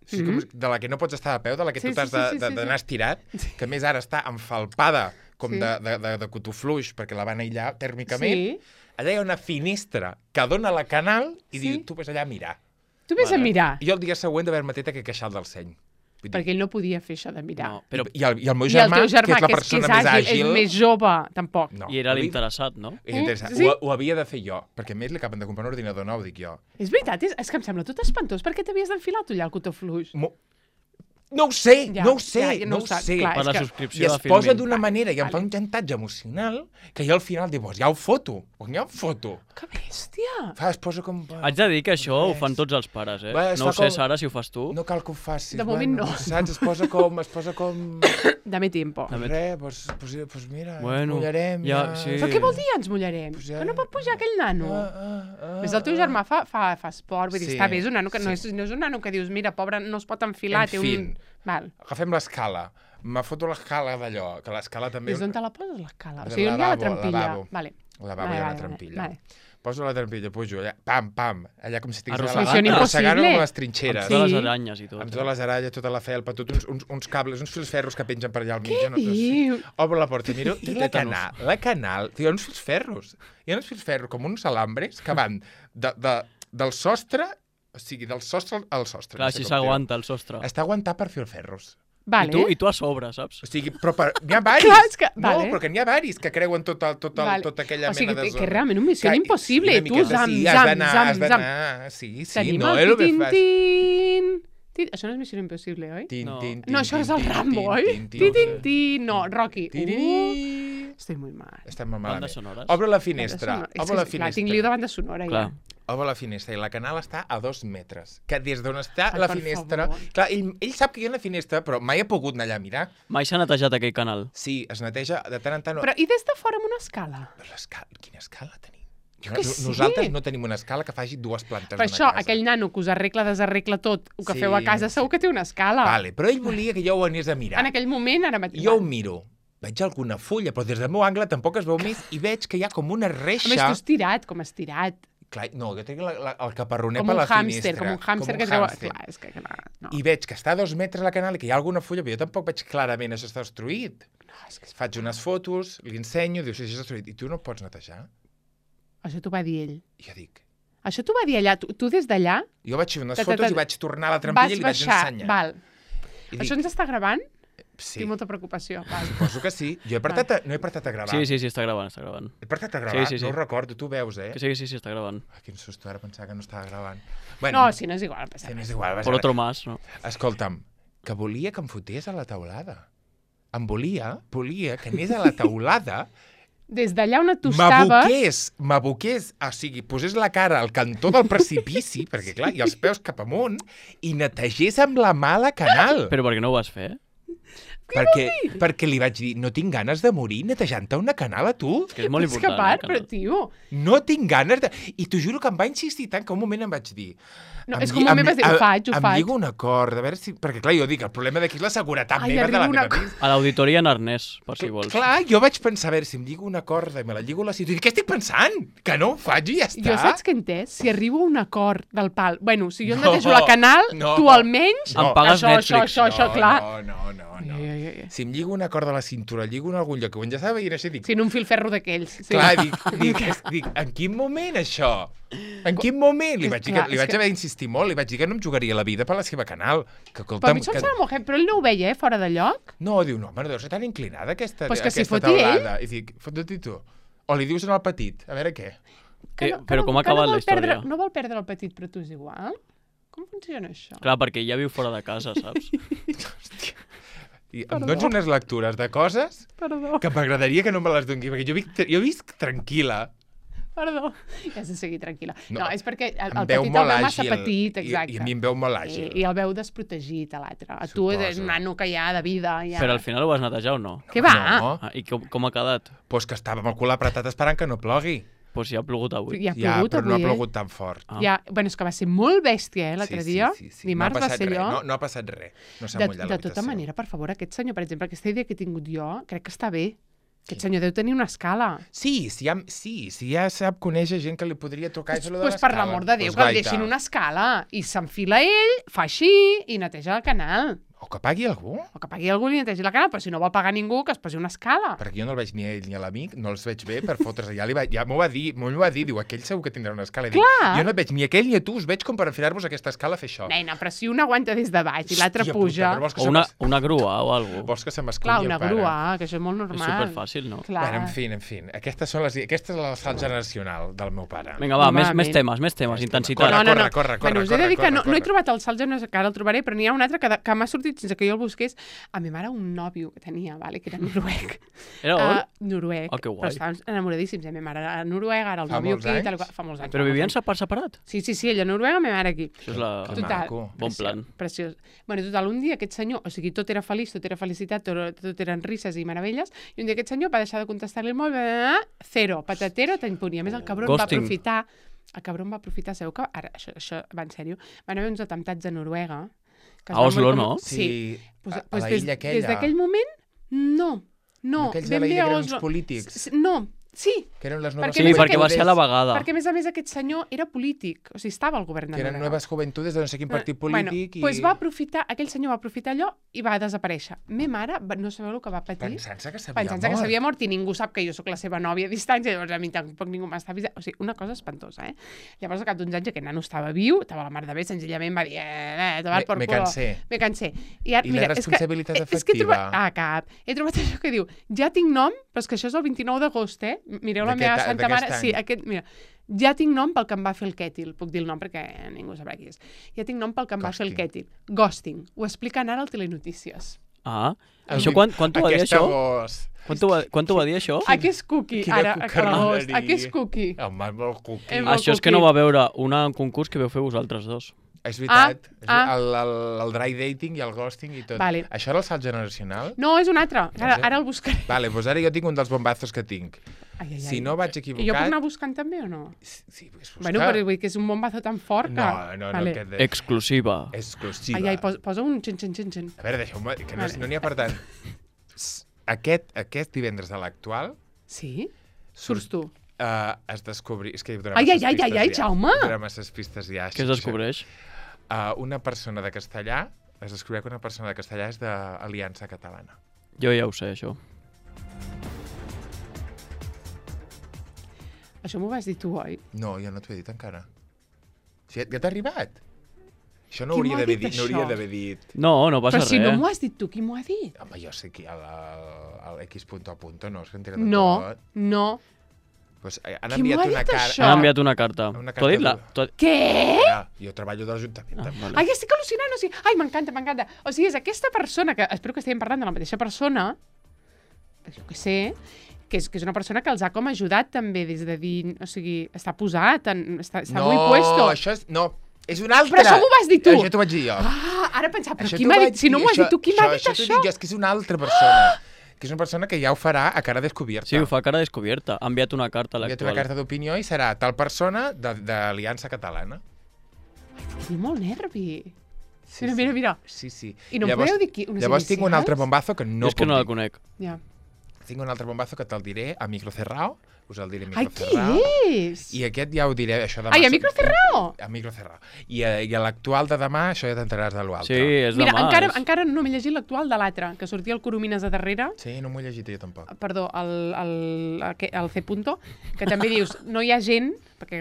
o sigui, com, de la que no pots estar de peu, de la que Sí, tu sí, t'has sí, de- sí, de- sí, d'anar sí. estirat, que a més ara està enfalpada com Sí. de, de, de, de cotofluix, perquè la van aïllar tèrmicament. Sí. Allà hi ha una finestra que dona a la canal i Sí. diu, tu ves allà a mirar. Tu vés a Vale. mirar, I jo el dia següent d'haver-me tret aquell queixal del seny. Vull dir, perquè ell no podia fer això de mirar. No, però... I, el, I el meu I el germà, teu germà, que és la que és, que persona és, més àgil, àgil... és més jove, tampoc. No, I era ho havia- l'interessat, no? és interessant. Eh? Sí. Ho, ho havia de fer jo, perquè a més li acaben de comprar un ordinador nou, dic jo. És veritat, és, és que em sembla tot espantós. Per què t'havies d'enfilar tu allà el cotofluix? Mo... No ho sé, Ja, no ho sé, ja, ja no no ho ho saps, sé. clar, Per és la que- subscripció I es de posa Filmin. d'una manera i em Vale. fa un xantatge emocional que jo al final dic, pues ja ho foto, pues ja ho foto. Que bèstia! Fa, es posa com... Haig de dir que això ho Res. fan tots els pares, eh? Va, es No ho fa sé, com- Sara, si ho fas tu. No cal que ho facis. De moment bueno, no. Saps? Es posa com... Es posa com... Dame tiempo. Dame- Res, pues, pues, pues mira, Bueno, ens mullarem. ja, Ja, sí. Però què vol dir ens mullarem? Pues ja- Que no pot pujar aquell nano. Ah, ah, ah, Més el teu germà fa, fa, fa esport, vull dir, Sí, està bé, és un nano que no, sí. és, no és un nano que dius, mira, pobre, no es pot enfilar, En té fin. un... Val. Agafem l'escala. Me foto l'escala d'allò, que l'escala també... Des d'on te la poses, l'escala? O Del sigui, on hi ha la lavabo, trampilla? lavabo. Vale. Al lavabo Vale, hi ha vale, una trampilla. vale. Poso la trampilla, pujo allà, pam, pam, allà com si estigués Arrossegant. Missió arrossegant impossible. amb les Amb trinxeres. Sí. totes les aranyes i tot. Amb totes les aralles, tota la felpa, tot uns, uns, uns cables, uns fils ferros que pengen per allà al mig. Què jo no, no sé. dius? Obro la porta i miro, i la Tètanos. canal, la canal, hi ha uns fils ferros. Hi ha uns fils ferros com uns alambres que van de, de, del sostre, o sigui, del sostre al sostre. Clar, no sé si com dir-ho. s'aguanta el sostre. Està aguantat per fils ferros. Vale. I tu, I tu a sobre, saps? O sigui, però per, n'hi ha varis. Clar, és que- No, vale. però que n'hi ha varis que creuen tota, tota, Vale. tota aquella O sigui, mena de que- zona. que realment un missió Que- impossible. una Tu, miqueta zam, sí, has zam, d'anar, zam, has zam. d'anar, sí, sí, Tenim no, el és el que tin, fas. tin, tin. Això no és Missió Impossible, oi? Tin, No. tin, tin, No, això tin, és el tin, Rambo, tin, oi? tin, tin, Tin, tin, tin. tin. No, Rocky. Uh, Tiriri. estic molt mal. Estem molt Bandes malament. sonores. Obro la Banda finestra, sonora. És obro que, la clar, tinc liu finestra. de banda sonora, Clar. ja. obre la finestra i la canal està a dos metres. Que des d'on està Ai, la per finestra... favor. Clar, ell, ell sap que hi ha una finestra, però mai ha pogut anar allà a mirar. Mai s'ha netejat aquell canal. Sí, es neteja de tant en tant... Però i des de fora amb una escala? L'escala... Quina escala tenim? Jo que No- sí. Nosaltres no tenim una escala que faci dues plantes Per d'una això, casa. aquell nano que us arregla, desarregla tot, el que Sí, feu a casa, segur que té una escala. Vale, però ell volia que jo ho anés a mirar. En aquell moment, ara mateix. Jo ho miro. Veig alguna fulla, però des del meu angle tampoc es veu més i veig que hi ha com una A més, reixa... tu estirat, com estirat. Clar, no, jo tinc la, la, el caparroner Com per un la hàmster, finestra. com un hàmster Com que un treu... hàmster. Clar, és que... Clar, no. I veig que està a dos metres la canal i que hi ha alguna fulla, però jo tampoc veig clarament això està destruït. no, és que... Faig unes fotos, li ensenyo, diu, sí, això està destruït. I tu no pots netejar? Això t'ho va dir ell. I jo dic... Això t'ho va dir allà. Tu, tu des d'allà Jo vaig fer unes Ta, ta, fotos ta, i vaig tornar a la vas trampilla i li vaig baixar. ensenyar. Val. I Això dic, ens està gravant? sí, Tinc molta preocupació. Val. suposo que sí. Jo he apretat a, no he apretat a gravar. Sí, sí, sí, està gravant, està gravant. He apretat a gravar, Sí, sí, sí. no ho recordo, tu veus, eh? Que sí, que sí, sí, està gravant. Ah, quin susto, ara pensava que no estava gravant. Bueno, No, si no és igual. No passa sí, no res. és igual. Vas Por otro más, no? Escolta'm, que volia que em fotés a la taulada. Em volia, volia que anés a la taulada, Des d'allà on tu estaves... m'aboqués, m'aboqués, o sigui, posés la cara al cantó del precipici, perquè clar, i els peus cap amunt, i netegés amb la mà la canal. Però per què no ho vas fer? perquè, perquè li vaig dir, no tinc ganes de morir netejant-te una canal a tu. Que és molt És que important. part, eh, però, canal. tio... No tinc ganes de... I t'ho juro que em va insistir tant que un moment em vaig dir... No, em és lli- com un moment em- vas dir, ho em- faig, ho em faig. lligo un acord, a veure si... Perquè clar, jo dic, el problema d'aquí és la seguretat Ai, meva de la arriba meva una vida. A l'auditoria en arnès, per si vols. Clar, jo vaig pensar, a veure, si em lligo una corda i me la lligo a la cintura, què estic pensant? Que no ho faig i ja està. Jo saps què he entès? Si arribo a un acord del pal... Bueno, si jo No, netejo la canal, no. tu almenys... No. Em pagues això, Netflix. això, això, això, clar. No, no, no, no. Ai, ai, ai. Si em lligo una corda a la cintura, lligo en algun lloc, que ho ja estava veient això, dic, Si en un fil ferro d'aquells. Sí. clar, dic, dic, és- dic, en quin moment això? En quin moment? Li vaig, dir Clar, que, li és vaig que- haver d'insistir molt, li vaig dir que no em jugaria la vida per la seva canal. Que, Però a escolta'm, mi això em que... sembla molt heavy, però ell no ho veia, eh, fora de lloc. No, diu, no, home, no deu ser tan inclinada aquesta, Pues que s'hi aquesta foti ell. taulada. I dic, fot-te tu. O li dius al petit, a veure què. Eh, però com ha que acabat no la vol perdre, història? no vol perdre el petit, però tu és igual? Com funciona això? Clar, perquè ja viu fora de casa, saps? I em Perdó. dones unes lectures de coses Perdó, que m'agradaria que no me les doni, perquè jo visc, jo visc tranquil·la. perdó. Ja sé seguir tranquil·la. No, No, és perquè el, Em el veu petit el molt veu massa àgil. petit, I, exacte. I a mi em veu molt I, àgil. I el veu desprotegit, a l'altre. A tu és Suposo. un nano que ja de vida... Ja... Però al final ho vas netejar o no? Què va? No, Ah, I com, com ha quedat? doncs que estava amb el cul apretat esperant que no plogui. Doncs pues ja ha plogut avui. Ja ha Ja, plogut però no ha avui, eh? plogut tan fort. Ah. Ja, bueno, és que va ser molt bèstia, eh, l'altre dia. Sí, sí, sí. Dimarts no ha va passat ser res. allò. No, no ha passat res. No s'ha de, mullat de tota l'habitació. manera, per favor, aquest senyor, per exemple, aquesta idea que he tingut jo, crec que està bé. Aquest senyor deu tenir una escala. Sí, si ja, sí, si ja sap conèixer gent que li podria tocar Doncs això de pues, l'escala. per l'amor de Déu, Pues que el gaita. deixin una escala. I s'enfila ell, fa així i neteja el canal. O que pagui algú. O que pagui algú i netegi la canal, però si no vol pagar ningú, que es posi una escala. Perquè jo no el veig ni a ell ni a l'amic, no els veig bé per fotre's allà. Li va, ja m'ho va dir, m'ho va dir, diu, aquell segur que tindrà una escala. I dic, Clar. jo no et veig ni aquell ni a tu, us veig com per enfilar-vos aquesta escala a fer això. Nena, però si un aguanta des de baix i l'altre Hòstia puja... puta, però vols que O se una, m'es- una grua o alguna cosa. Vols que se m'esculli Clar, el una pare? grua, que això és molt És normal. superfàcil, no? Clar. Bueno, en fi, en fi. Aquestes són les... Aquesta és la salt generacional del meu pare. Vinga, va, més, Normalment. més temes, més temes, Més intensitat. Corre, no, no, no. corre, corre, bueno, us he corre, de dir que corre, no, no he corre. trobat el salt generacional, que ara el trobaré, però n'hi ha un altre que, de- que m'ha sortit sense que jo el busqués. A mi mare un nòvio que tenia, vale, que era noruec. Era on? Uh, noruec. Oh, que guai. Però estàvem enamoradíssims. A mi mare era a Noruega, ara el Fa nòvio molts aquí, tal, i anys? qual. Fa molts anys. Però fa molts vivien anys. separ separat? Sí, sí, sí, ella a Noruega, ma mare aquí. Això és la... Que Total. maco. Bon plan. Preciós. Bueno, total, un dia aquest senyor, o sigui, tot era feliç, tot era felicitat, tot, tot eren risses i meravelles, i un dia aquest senyor va deixar de contestar-li el mòbil, bla, bla, bla, zero, patatero, t'impunt. I a més el cabron va Ghosting. aprofitar, el cabron va aprofitar, sabeu que, ara, això, això va en sèrio, van haver uns atemptats a Noruega. Que es A van Oslo, morir no? Sí. Pues, a, a pues la des, illa aquella. Des d'aquell moment, no. No, Aquells de ben la bé illa a que eren uns polítics. polítics. No, sí, Que eren les noves Perquè Sí, més perquè va aquell- ser a la vegada. perquè a més a més aquest senyor era polític, o sigui, estava al govern de Que eren Noruega. noves joventudes de no sé quin partit Bueno, polític i... pues va aprofitar, aquell senyor va aprofitar allò i va desaparèixer. Me mare, va- no sabeu el que va patir? Pensant-se que s'havia Pensant-se que mort. s'havia mort i ningú sap que jo sóc la seva nòvia a distància, llavors a mi tampoc ningú m'està avisant. O sigui, una cosa espantosa, eh? Llavors, al cap d'uns anys, aquest nano estava viu, estava a la mar de bé, senzillament va dir, eh, eh, tomar Me- por me culo. cansé. Me cansé. I, ara, I la mira, és que, responsabilitat eh, és que he trobat, afectiva. ah, cap. He trobat això que diu, ja tinc nom, però és que això és el vint-i-nou d'agost, eh? Mireu la D'aquest meva a- santa d'aquest mare. any. Sí, aquest, mira, ja tinc nom pel que em va fer el Kètil. Puc dir el nom perquè ningú sabrà qui és. Ja tinc nom pel que em va fer el Ghosting. Kètil. Ghosting. Ho expliquen ara al Telenotícies. Ah, això quan, quan t'ho va dir, Aquesta això? voz. Quan t'ho va, quan t'ho va dir, això? Aquí és cookie, Quina ara, a l'agost. cucarderia. Aquí és cookie. Home, molt cookie. Em- Això és que no va veure una, un concurs que veu fer vosaltres dos. És veritat. Ah, ah. El, el, el dry dating i el ghosting i tot. Vale. Això era el salt generacional? No, és un altre. Ara, ara el buscaré. Vale, doncs ara jo tinc un dels bombazos que tinc. Ai, ai, ai. Si no vaig I jo puc equivocat... anar buscant també o no? Sí, és buscar. Bueno, però vull dir que és un bombazo tan fort que... No, no, no, Vale. aquest és Exclusiva. exclusiva. Ai, ai, posa, posa un xin, xin, xin, xin. A veure, deixeu-me, que no Vale. no n'hi ha per tant. Aquest, aquest divendres de l'actual Sí? Surts tu. uh, es descobri... És que hi Ai, ai, ai, ai, ai, Jaume! Hi haurà masses pistes ja. Què es descobreix? Uh, una persona de castellà, es descobreix que una persona de castellà és d'Aliança Catalana. Jo ja ho sé, això. Això m'ho vas dir tu, oi? No, jo no t'ho he dit encara. Si ja, ja t'ha arribat? Això no Qui hauria m'ho ha d'haver dit, dit, no això? hauria d'haver dit. No, no passa Però si res. no m'ho has dit tu, qui m'ho ha dit? Home, jo sé qui, el, el, el X punto a punto, no, és que en tira de No, tot. no. Pues, eh, han Qui m'ho enviat ha una dit, cara... això? Han enviat una carta. Una T'ho ha dit la... carta t'ho ha- Què? Ah, jo treballo de l'Ajuntament. Ah, també. vale. Ai, estic al·lucinant, o sigui... Ai, m'encanta, m'encanta. O sigui, és aquesta persona, que espero que estiguem parlant de la mateixa persona, jo què sé, que és, que és una persona que els ha com ajudat també des de dir... O sigui, està posat, en, està, està no, muy puesto. això és... No, és un altre. Però això m'ho vas dir tu. Això t'ho vaig dir jo. Ah, ara pensava, però Això qui t'ho m'ha vaig dit? Si no dir, m'ho has dit tu, qui m'ha dit Això això? t'ho dic jo, és que és una altra persona. Que és una persona que ja ho farà a cara descoberta. Sí, ho fa cara descobierta. Ha enviat una carta a Ha enviat una l'actual. carta d'opinió i serà tal persona de- d'Aliança Catalana. Tinc molt nervi. Sí, Mira, mira, mira. Sí, sí. I no em podeu dir qui- unes Llavors tinc un inicials? altre bombazo que no Jo és que puc no la dir. conec. Ja. Tinc un altre bombazo que te'l diré a micro cerrado. Us el diré a Ai, micro qui cerrado. és? I aquest ja ho diré, això demà. Ai, a micro cerrado? A micro cerrado. I a, i a l'actual de demà, això ja t'enteraràs de l'altre. Sí, és Mira, demà. encara, és- encara no m'he llegit l'actual de l'altre, que sortia el Coromines a darrere. Sí, no m'ho he llegit jo tampoc. Perdó, el, el, el, el C. Punto, que també dius, no hi ha gent... Perquè,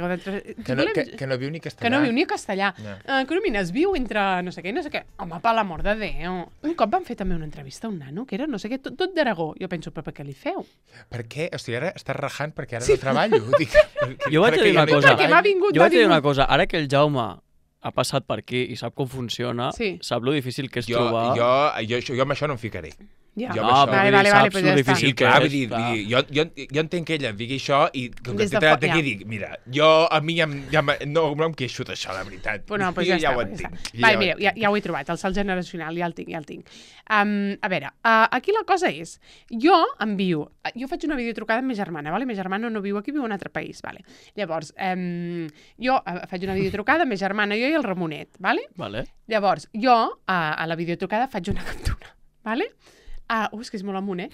Que no, que, que no viu ni castellà. que no viu ni castellà. No. Uh, Coromines viu entre no sé què i no sé què. Home, per l'amor de Déu. Un cop van fer també una entrevista a un nano, que era no sé què, tot, tot d'Aragó. Jo penso, però per què li feu? Per què? O sigui, ara estàs rajant perquè ara Sí. no treballo. Dic, Jo vaig perquè dir ja una no hi cosa. Perquè treballo. m'ha vingut, Jo m'ha vaig dir una vingut. cosa. Ara que el Jaume ha passat per aquí i sap com funciona, Sí. sap lo difícil que és Jo, trobar... jo, jo, jo, jo amb això no em ficaré. Ja. Jo No, amb això- però Vale, vull dir, vale, vale, saps pues lo ja està. difícil Sí, que clar, és. vull dir, clar. vull dir, jo, jo, jo entenc que ella digui això i com que Des de t'he fo- d'aquí ja. dic, mira, jo a mi ja, em- ja em- no, no em queixo d'això, la veritat. Pues no, pues Jo ja, ja està, ho pues ja entenc. està. jo Vale, ho mireu, ja, entenc. ja ho he trobat, el salt generacional, ja el tinc, ja el tinc. Um, a veure, uh, aquí la cosa és, jo envio, jo faig una videotrucada amb ma germana, vale? Ma germana no viu aquí, viu en un altre país, vale? Llavors, um, jo uh, faig una videotrucada amb ma germana, jo i el Ramonet, vale? Vale. Llavors, jo a, a la videotrucada faig una captura, vale? Ah, uh, és que és molt amunt, eh?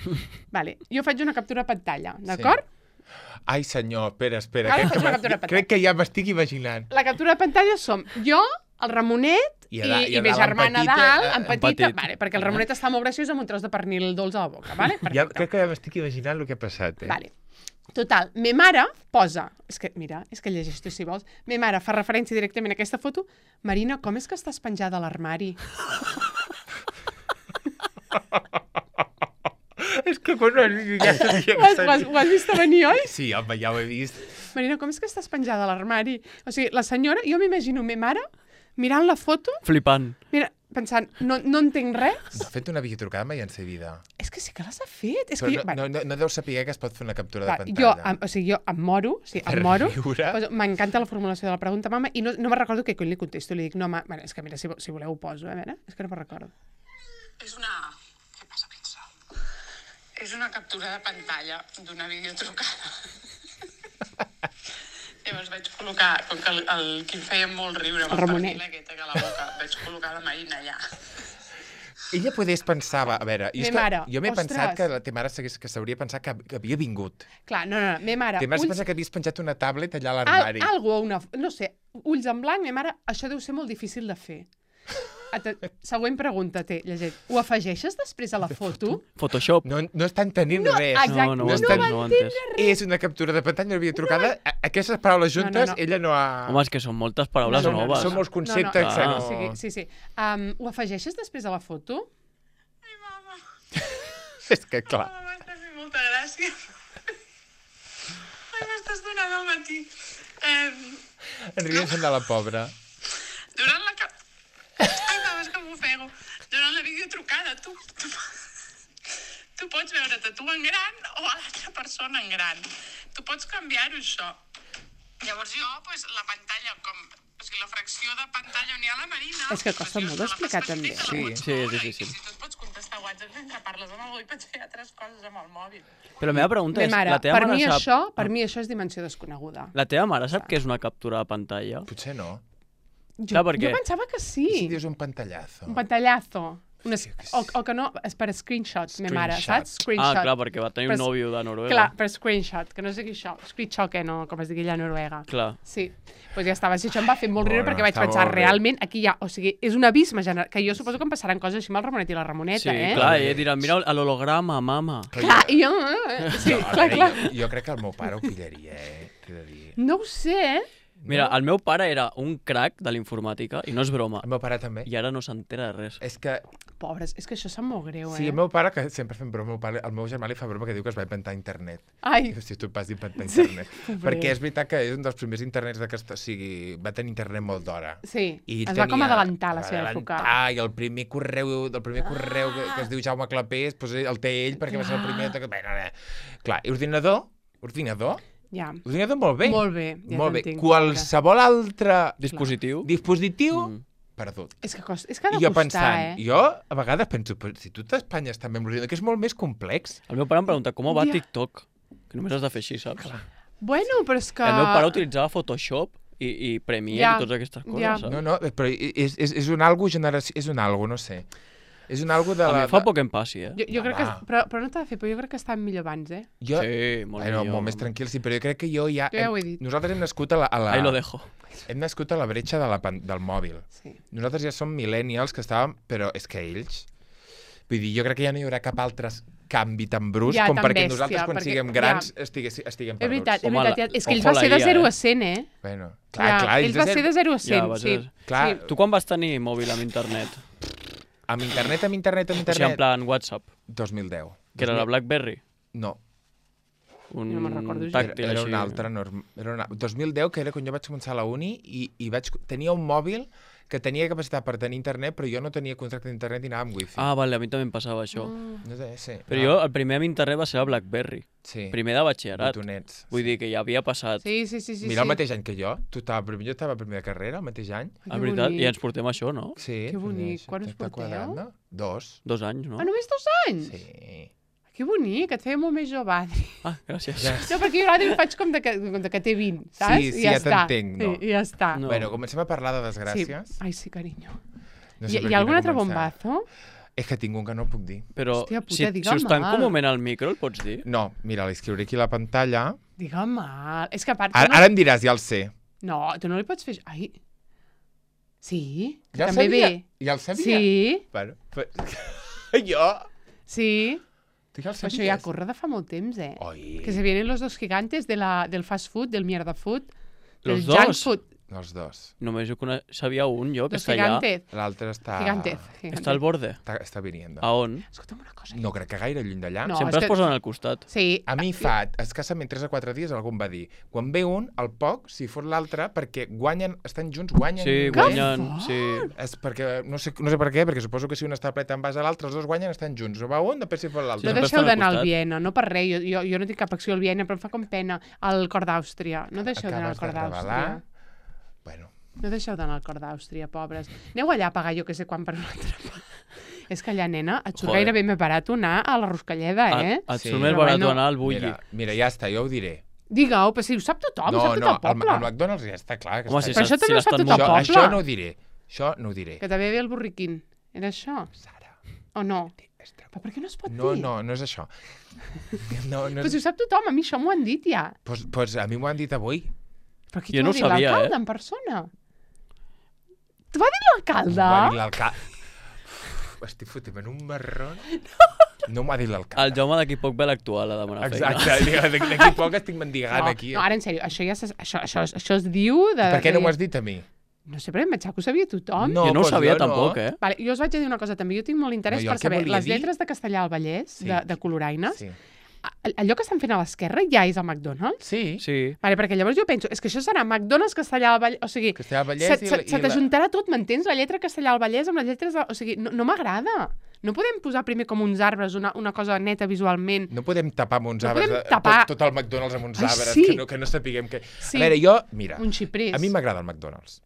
Vale, jo faig una captura de pantalla, d'acord? Ai, senyor, espera, espera. Ara Crec que, faig una m'ha- captura de crec que ja m'estic imaginant. La captura de pantalla som jo, el Ramonet I i, a da- i, i a i ma dalt en germana petita, dalt, eh, en en petita, petit. vale, perquè el Ramonet està molt graciós amb un tros de pernil dolç a la boca, vale? Ja, Perfecte. crec que ja m'estic imaginant el que ha passat, eh? Vale. Total, me mare posa, és que, mira, és que llegeix tu si vols, me mare fa referència directament a aquesta foto, Marina, com és que estàs penjada a l'armari? És que quan ja sabia que Ho has, ho, has, ho has vist a venir, oi? Sí, home, ja ho he vist. Marina, com és que estàs penjada a l'armari? O sigui, la senyora, jo m'imagino me mare mirant la foto, Flipant. mira, pensant, no, no entenc res. No ha fet una videotrucada mai en sa vida. És que sí que les ha fet. És Però que no, jo, va, no, no, no deu saber que es pot fer una captura va, de jo, pantalla. em, o sigui, jo em moro, o sigui, Per em moro, riure. Pues, m'encanta la formulació de la pregunta, mama, i no, no me'n recordo què cony li contesto. Li dic, no, ma, bueno, és que mira, si, vo- si voleu ho poso, eh, a veure, és que no me'n recordo. És una... Què passa, pizza? És una captura de pantalla d'una videotrucada. Llavors vaig col·locar, com que el, el que em feia molt riure amb El el Ramonet. pernil aquest a la boca, vaig col·locar la Marina allà. Ella podés pensava, a veure, i és Me que mare, jo m'he ostres. pensat que la te mare s'hagués- que s'hauria pensat que, que havia vingut. Clar, no, no, no, me mare, Te mare s'ha ulls, pensat que havies penjat una tablet allà a al, l'armari. algo, una, no sé, ulls en blanc, me mare, això deu ser molt difícil de fer. Ate, següent pregunta, té, llegeix. Ho afegeixes després a la foto? Photoshop. No, no estan tenint No, res. exacte, no, no, no ho estan- entenc, no ho he entès. És una captura de pantalla, no havia trucada. A- Aquestes paraules No, no, juntes, no. ella no ha... Home, és que són moltes paraules No, no, no, noves. Són molts conceptes no, no, que no, no... o sigui, sí, sí. Um, ho afegeixes després a la foto? Ai, mama, És que, clar, mama, m'estàs fent molta gràcia. Ai, m'estàs donant al matí. Eh, en riem de la pobra. durant la... Cap... Ai, mama, és que m'ofego. Durant la videotrucada. Tu, tu, tu pots veure't a tu en gran o a l'altra persona en gran. Tu pots canviar-ho, això. Llavors jo, pues, la pantalla, com... O sigui, la fracció de pantalla on hi ha la Marina... És que costa molt d'explicar, també. Sí, sí, és difícil. I si tu et pots contestar WhatsApp mentre parles amb el mòbil, pots fer altres coses amb el mòbil. Però la meva pregunta Bé, és, mare, la teva per mare mi sap... això, per mi això és dimensió desconeguda. La teva mare sap què és una captura de pantalla? Potser no. Jo, Clar, perquè- jo pensava que sí. I si dius un pantallazo? Un pantallazo. Una, Sí, que sí. o, o que no, és per screenshots, me mare, Screenshot. saps? Screenshot. Ah, clar, perquè va tenir Per- un nòvio de Noruega. Clar, per screenshot, que no sé què això. Screenshot, que no, com es digui allà a Noruega. Clar. Sí, doncs ja estava. Si això em va fer molt riure Bueno, perquè vaig està pensar, molt bé. realment, aquí hi ha... O sigui, és un abisme general, que jo suposo que em passaran coses així amb el Ramonet i la Ramoneta, Sí, eh? clar, i diran, mira l'holograma, mama. Clar, i jo... eh, Sí, No, a clar, veure, clar. Jo, jo crec que el meu pare ho pillaria, eh? T'he de dir. No ho sé, eh? Mira, el meu pare era un crac de l'informàtica, i no és broma, El meu pare també. i ara no s'entera de res. És que, Pobres, és que això sap molt greu, eh? sí, el meu pare, que sempre fem broma, el meu, pare, el meu germà li fa broma que diu que es va inventar internet. Ai, I, si tu et vas inventar Sí, internet. pobret. Perquè és veritat que és un dels primers internets d'aquesta... O sigui, va tenir internet molt d'hora. sí, I es va com tenia- adelantar la va seva època. adelantar, I el primer correu, el primer correu que, que es diu Jaume Clapés, doncs el té ell perquè va ser el primer... Que... Bé, no, no. Clar, i ordinador, ordinador, Ja, ordinador molt bé. molt bé, ja molt bé. t'entenc. Qualsevol altre Dispositiu? dispositiu, Mm. perdut. És que, costa, és que ha de I jo costar, pensant, eh? jo a vegades penso, però si tot Espanya està amb l'ordinador, que és molt més complex. El meu pare em pregunta, com va Ja. TikTok? Que només has de fer així, saps? Bueno, però és que... El meu pare utilitzava Photoshop i, i Premiere Ja, i totes aquestes coses, ja. saps? No, no, però és, és, és un algo generació... És un algo, no sé. És un algo de A la... mi fa de- poc que em passi, eh? Jo, jo crec que... Home. Però, però no t'ha de fer, però jo crec que estàvem millor abans, eh? Jo... Sí, molt bueno, millor. molt més tranquil, sí, però jo crec que jo ja... Jo ja ho he dit. Nosaltres hem nascut a la... A la... Ahí lo dejo. Hem nascut a la bretxa de la, pan- del mòbil. Sí. Nosaltres ja som millennials que estàvem... Però és que ells... Vull dir, jo crec que ja no hi haurà cap altre canvi tan brusc Ja, com tan perquè bèstia, nosaltres, quan perquè- siguem grans, estigués, estiguem És perduts. veritat, és Home, veritat. la- ja- És que ells ojo va la ser de I A, zero eh? a cent, eh? Bueno, clar, Ja, clar, ells va ser de zero a cent, Ja, va sí. ser- Clar, Sí. Tu quan vas tenir mòbil amb internet? amb internet, amb internet, amb O sigui, en internet... plan WhatsApp, dos mil deu. que era la BlackBerry? No, Un No me'n recordo gens. tàctil era, era així. un altre. Norm... Era una... dos mil deu, que era quan jo vaig començar a la uni, i, i vaig... tenia un mòbil que tenia capacitat per tenir internet, però jo no tenia contracte d'internet i anava amb wifi. Ah, vale, a mi també em passava això. Mm. No sé, sí. Però jo, el primer amb internet va ser la BlackBerry. Sí. Primer de batxillerat. Botonets. Vull dir que ja havia passat. Sí, sí, sí. sí Mira, el sí. mateix any que jo. Tu estava primer, jo estava primer de carrera, el mateix any. Ai, La que veritat, bonic. i ens portem això, no? Sí. Que bonic. doncs, Quan us està porteu? quadrant, no? Dos. Dos anys, no? Ah, només dos anys? Sí. Que bonic, et feia molt més jove, Adri. Ah, gràcies. Ja. No, perquè jo l'Adri faig com de que, com de que té vint, saps? Sí, sí, I ja, ja està. t'entenc, no. Sí, i ja està. No. Bueno, comencem a parlar de Sí. desgràcies. Ai, sí, carinyo. No Hi, per hi quina ha algun altre començar. bombazo? És que tinc un que no puc dir. Però Hòstia puta, si, si digue'm us tanco mal. un moment al micro, el pots dir? No, mira, l'escriuré aquí a la pantalla. Digue'm mal. És que a part... tu Ara, no... ara em diràs, ja el sé. No, tu no li pots fer... Ai... Sí? que Ja el també sabia. ve. Ja el sabia. Sí, Bueno, però... jo... sí. Tu ja el Però sabies? això ja corre de fa molt temps, eh? Oi. Que se vienen los dos gigantes de la, del fast food, del mierda food, del Los junk dos? food. Els dos. Només jo cone... sabia un, jo, que Los està allà. gigantes. L'altre està... Gigantez. gigantez. Està al borde. Està, està viniendo. A on? Escolta'm una cosa. No crec que gaire lluny d'allà. No. Sempre és es que- posen al costat. Sí. A mi fa escassament tres o quatre dies algú em va dir quan ve un, al poc, si fot l'altre, perquè guanyen, estan junts, guanyen... Sí, Que guanyen... fort! Sí. És perquè, no sé, no sé per què, perquè suposo que si un està plet en base a l'altre, els dos guanyen, estan junts. O va un, després si fot No Sí, l'altre. sempre deixeu estan al d'anar al costat. Viena, no per res. Jo, jo, jo no tinc cap acció al Viena, però em fa com pena al cor d'Àustria. No deixeu d'anar al Acabes cor de revelar... d'Àustria. Bueno, No deixeu d'anar al cor d'Àustria, pobres. Aneu allà a pagar jo que sé quan per un altre. És que allà, nena, et surt Joder. gairebé més barat anar a la Roscalleda, eh? Et, et Sí. surt més Però barat bueno. anar al Bulli. mira, mira, ja està, jo ho diré. Digue-ho, però si ho sap tothom, no, ho sap tot no, el poble. al, al McDonald's ja està clar. Que Home, està si Però allà. això també ho sap l'estan tot el això, poble. això no ho diré. Això no ho diré. Que també ve el burriquín. Era això? Sara, O no? és Però per què no es pot no, dir? no, no és això. No, no Però si és... ho sap tothom, a mi això m'ho han dit ja. pues, pues a mi m'ho han dit avui. Però qui Jo t'ho no va dir, ho sabia, l'alcalde eh? en persona? T'ho va dir l'alcalde? M'ho va dir l'alcalde. Estic fotent en un marrón. No m'ho ha dit El l'alcalde. Jaume d'aquí poc ve l'actual a demanar feina. Exacte, d'aquí poc estic mendigant No, aquí. no, ara en sèrio, això ja se, això, això, això es diu de... Per què no de- m'ho has dit a mi? No sé, però em pensava que ho sabia tothom. No, Jo no ho pues sabia jo no. tampoc, eh? Vale, jo us vaig a dir una cosa també, jo tinc molt interès No, jo el per que saber volia les dir- lletres de Castellà al Vallès, Sí. de, de Coloraines, Sí. allò que estan fent a l'esquerra ja és el McDonald's? Sí, Sí. Vale, perquè llavors jo penso, és que això serà McDonald's Castellà del Vallès, o sigui, Castellà del Vallès se, i se, la- i se la- t'ajuntarà tot, m'entens? La lletra Castellà del Vallès amb les lletres... De, o sigui, no, no m'agrada. No podem posar primer com uns arbres, una, una cosa neta visualment. no podem tapar amb uns No arbres, podem eh, tapar- tot, tot el McDonald's amb uns Ai, arbres, sí. que, no, que no sapiguem què... Sí. A veure, jo, mira, Un xiprés. a mi m'agrada el McDonald's.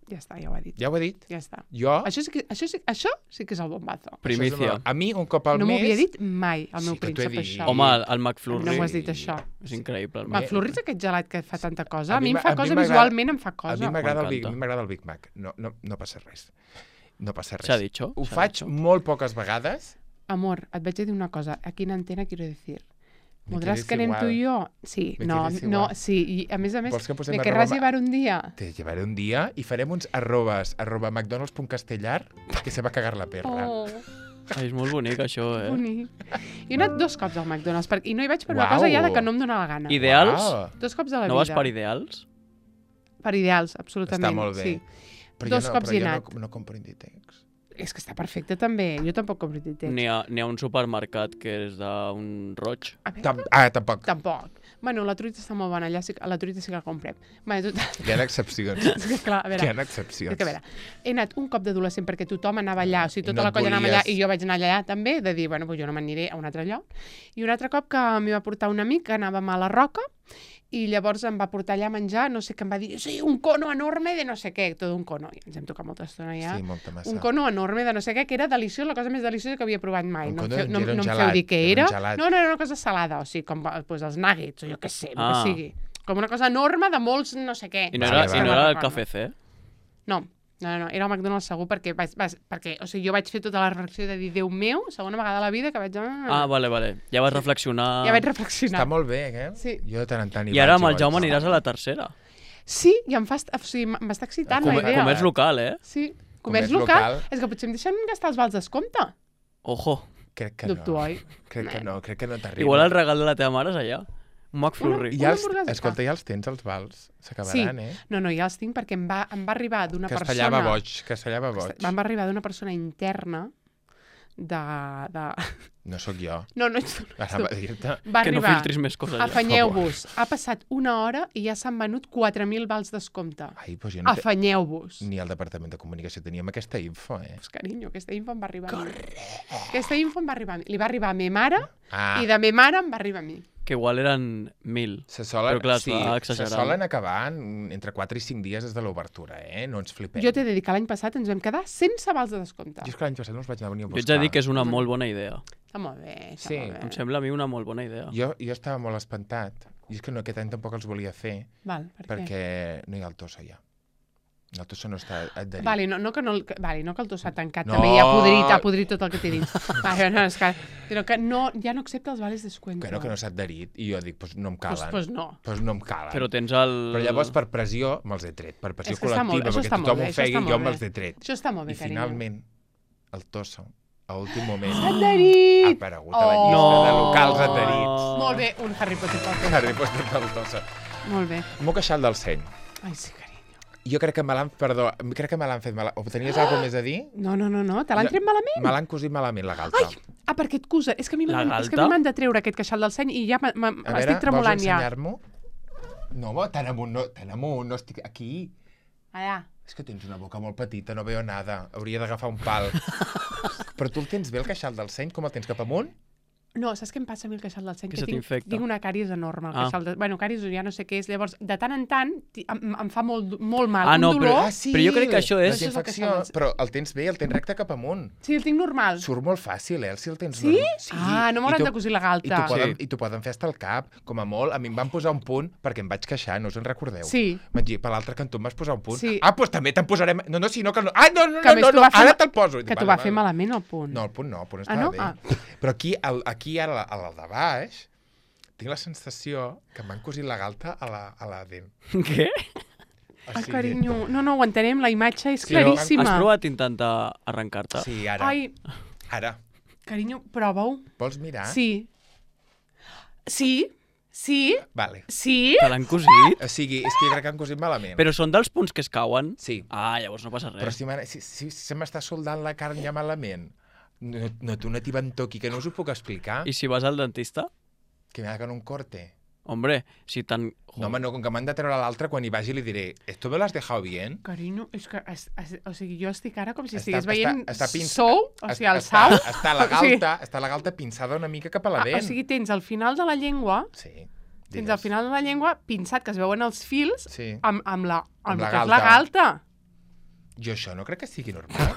Ja està, ja ho ha dit. Ja ho he dit. Ja està. Jo... Això sí que, això sí, això sí que és el bombazo. Primicia. A mi, un cop al No m'ho mes... havia dit mai, el meu Sí que t'ho he príncep, dit. això. Home, el, el McFlurry No m'ho has dit, això. és increïble. El McFlurry és aquest gelat que fa tanta cosa. A, mi em m'a- fa a mi cosa, m'agrada- visualment em fa A cosa. mi m'agrada el, Big- a M'encanta. mi m'agrada el Big Mac. No, no, no passa res. No passa res. S'ha dicho, Ho s'ha faig dicho. molt poques vegades. Amor, et vaig a dir una cosa. Aquí en antena quiero decir. Me ¿Podrás quedes querer igual. tú y yo? Sí, Me no, quedes no, igual. sí. I a més a més, Vols que posem me arroba querràs ma- llevar un dia. Te llevaré un dia i farem uns arrobes, arroba mcdonalds.castellar, que se va cagar la perra. Oh, Ai, és molt bonic, això, eh? bonic. Jo he anat dos cops al McDonald's per... i no hi vaig per una Uau. cosa ja de que no em dóna la gana. Ideals? Uau. Dos cops a la No vas vida. per ideals? Per ideals, absolutament. Està molt bé. Sí. Però Dos jo no, cops però hi he jo anat. no, no compro Inditex. És que està perfecte també. Jo tampoc compro Inditex. N'hi ha, n'hi ha un supermercat que és d'un roig. A veure, Tam ah, tampoc. tampoc. Bueno, la truita està molt bona. Allà sí, que- la truita sí que la comprem. Bueno, tot... Hi ha excepcions. és que, clar, a veure, Hi ha és excepcions. que, a veure, he anat un cop d'adolescent perquè tothom anava allà, o sigui, I tota no la et colla anava allà volies- i jo vaig anar allà també, de dir, bueno, pues jo no m'aniré a un altre lloc. I un altre cop que m'hi va portar un amic que anàvem a la Roca i llavors em va portar allà a menjar, no sé què em va dir, sí, un cono enorme de no sé què, tot un cono. I ens hem tocat molta estona ja. Sí, molta massa. Un cono enorme de no sé què, que era deliciós, la cosa més deliciosa que havia provat mai. Un No em cono feu, no, era un no em gelat, feu dir què era era. un gelat. No, no, era una cosa salada, o sigui, com pues, els nuggets, o jo què sé, el Ah. que sigui. Com una cosa enorme de molts no sé què. I no Vale, era, vale. i no era el No, Café C? No, no, no, era el McDonald's segur perquè, vaig, vaig, perquè o sigui, jo vaig fer tota la reflexió de dir, Déu meu, segona vegada a la vida que vaig... Ah, vale, vale. Ja vas reflexionar... Ja vaig reflexionar. Està molt bé, eh? Sí. Jo de tant en tant hi I ara vaig, amb el vaig. Jaume aniràs a la tercera. Sí, i em fa... est- O sigui, m'està excitant Com, la idea. comerç local, eh? Sí, comerç, Comerç local. local. És que potser em deixen gastar els vals d'escompte. Ojo. Crec que Dubto, no. oi? Crec que no, crec que no t'arriba. Igual el regal de la teva mare és allà. Un McFlurry. Ja Una els, hamburguesa. escolta, ja els tens, els vals? S'acabaran, eh? No, no, ja els tinc perquè em va, em va arribar d'una persona... Castellava boig, castellava boig. Em va arribar d'una persona interna de... de... No sóc jo. No, no ets tu. No ets Ara va tu. dir-te... Va Que no arribar... filtris més coses allà. Afanyeu-vos. Ha passat una hora i ja s'han venut quatre mil vals d'escompte. Ai, doncs jo no te... Afanyeu-vos. Ni al Departament de Comunicació teníem aquesta info, eh? Pues, carinyo, aquesta info em va arribar a mi. Aquesta info em va arribar a mi. Li va arribar a mi mare Ah, i de mi mare em va arribar a mi. Que igual eren mil. se solen, Però clar, es sí, va se exagerant. solen acabar en, entre quatre i cinc dies des de l'obertura, eh? No ens flipem. Jo t'he de dir que l'any passat ens vam quedar sense vals de descompte. Jo és que l'any passat no els vaig anar a venir a Jo buscar. ets a dir que és una molt bona idea. Està molt bé, està Sí. molt Em bé. sembla a mi una molt bona idea. Jo, jo estava molt espantat. I és que no, aquest any tampoc els volia fer, Val, per què? perquè no hi ha el Tossa ja. El Tossa no està adherit. Vale, no, no, que no, el- que, vale, no que el to s'ha tancat, No. també ja ha podrit, ha podrit tot el que t'he dit. Vale, no, és que, però que no, ja no accepta els vales descuento. Que no, que no s'ha adherit. I jo dic, pues no em Pues, calen. pues no. Pues no em calen. Però tens el... Però llavors, per pressió, me'ls he tret. Per pressió És que està molt- col·lectiva, això perquè està molt tothom bé, ho això feia està i molt jo me'ls bé. he tret. Això està molt bé, I carinyo. finalment, el Tossa, a últim moment, S'ha ha adherit! aparegut a la Oh. llista de locals adherits. Molt bé, un Harry Potter pel Tossa. Harry Potter del Tossa. Molt bé. M'ho queixat del seny. Ai, sí, carinyo. Jo crec que me l'han... Perdó, crec que me l'han fet mal... O tenies alguna cosa més a dir? No, no, no, no, te l'han tret malament? Me l'han cosit malament, la galta. Ai, ah, perquè et cusa. És que a mi La m'han és que a galta? mi m'han de treure aquest queixal del seny i ja m'ha- m'ha- A veure, estic tremolant vols ja. ensenyar-m'ho? No, home, tan amunt, no, tan amunt, no estic aquí. Allà. És que tens una boca molt petita, no veo nada. Hauria d'agafar un pal. Però tu el tens bé, el queixal del seny? Com el tens, cap amunt? No, saps què em passa a mi el queixal del seny? Que se tinc, t'infecta. tinc una càries enorme. El Ah. queixal de... Bueno, càries ja no sé què és. Llavors, de tant en tant, ti- em, em fa molt, molt mal. Ah, un no, dolor. però- Ah, sí! Però jo crec que això és- La Això és el infecció, queixal del- però el tens bé, el tens recte cap amunt. Sí, el tinc normal. Surt molt fàcil, eh? Si el tens Sí? normal. Sí. Ah, no I m'hauran t'ho- de cosir la I galta. t'ho poden, Sí. i t'ho poden fer hasta el cap, com a molt. A mi em van posar un punt perquè em vaig queixar, no us en recordeu? Sí. Vaig dir, per l'altre cantó em vas posar un punt. Sí. Ah, doncs també te'n posarem... No, no, si no, que no... Ah, no, no, Que a no, més no, t'ho no, va fer ara ma- te'l poso. I dic, Que t'ho vale, va fer vale. malament, el punt. No, el punt no, el punt Ah, estava no? bé. Ah. Però aquí, el, aquí ara, a la de baix, tinc la sensació que m'han cosit la galta a la, a la dent. Què? O Ai, sigui- carinyo, no, no, ho entenem, la imatge és Sí, però claríssima. Has provat intentar arrencar-te? Sí, ara. Ai, Ara. carinyo, prova-ho. Vols mirar? Sí. Sí? Sí? Vale. Sí? Te l'han cosit? O sigui, és que jo crec que han cosit malament. Però són dels punts que es cauen? Sí. Ah, llavors no passa Però res. si, m'ha- si, si, si se m'està soldant la carn ja malament, no, no té una tibantor aquí que no us ho puc explicar. I si vas al dentista? que me hagan un corte. Hombre, si tan... No, home, no, com que m'han de treure l'altre, quan hi vagi li diré ¿esto me lo has dejado bien? Carinyo, és que, es, es, o sigui, jo estic ara com si Està- estigués veient està- està pins- Sou, o sigui, el està, Sau. Està la O sigui- galta, està la galta pinçada una mica cap a la Ah, dent. o sigui, tens al final de la llengua, Sí, tens digues. al final de la llengua pinçat, que es veuen els fils, Sí. amb, amb la, amb, Amb la que és la galta. galta. Jo això no crec que sigui normal.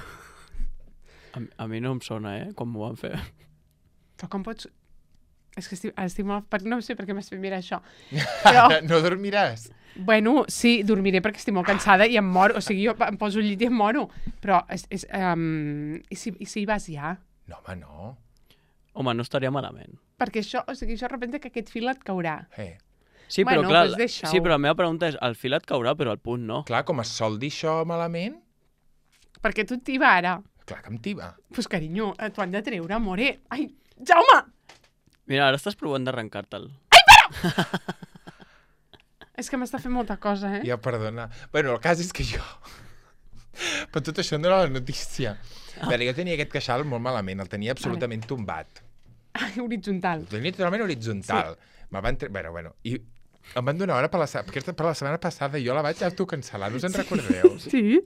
A, a mi no em sona, eh, com m'ho van fer. Però com pots... És que estic, estic molt... per- No sé per què m'has fet mirar això. Però, No dormiràs? bueno, sí, dormiré perquè estic molt cansada i em moro. O sigui, jo em poso al llit i em moro. Però, és, és, um, i, si, i si hi vas ja? No, home, no. Home, no estaria malament. Perquè això, o sigui, això representa que aquest fil et caurà. Eh. Sí, però Bueno, clar, doncs deixa-ho. sí, però la meva pregunta és, el fil et caurà, però el punt no. Clar, com es sol dir això malament, Perquè tu et tiba ara. clar que em tiba. Pues, carinyo, eh, t'ho han de treure, more. Ai, Jaume! Mira, ara estàs provant d'arrencar-te'l. És que m'està fent molta cosa, eh? Ja, perdona. Bueno, el cas és que jo... Però tot això no era la notícia. A veure, jo tenia aquest queixal molt malament, el tenia absolutament tombat. Ai, horitzontal. El tenia totalment horitzontal. Sí. Me'l van... tre- Bueno, bueno, i em van donar hora per la, se- perquè per la setmana passada i jo la vaig autocancel·lar, no us en recordeu? Sí?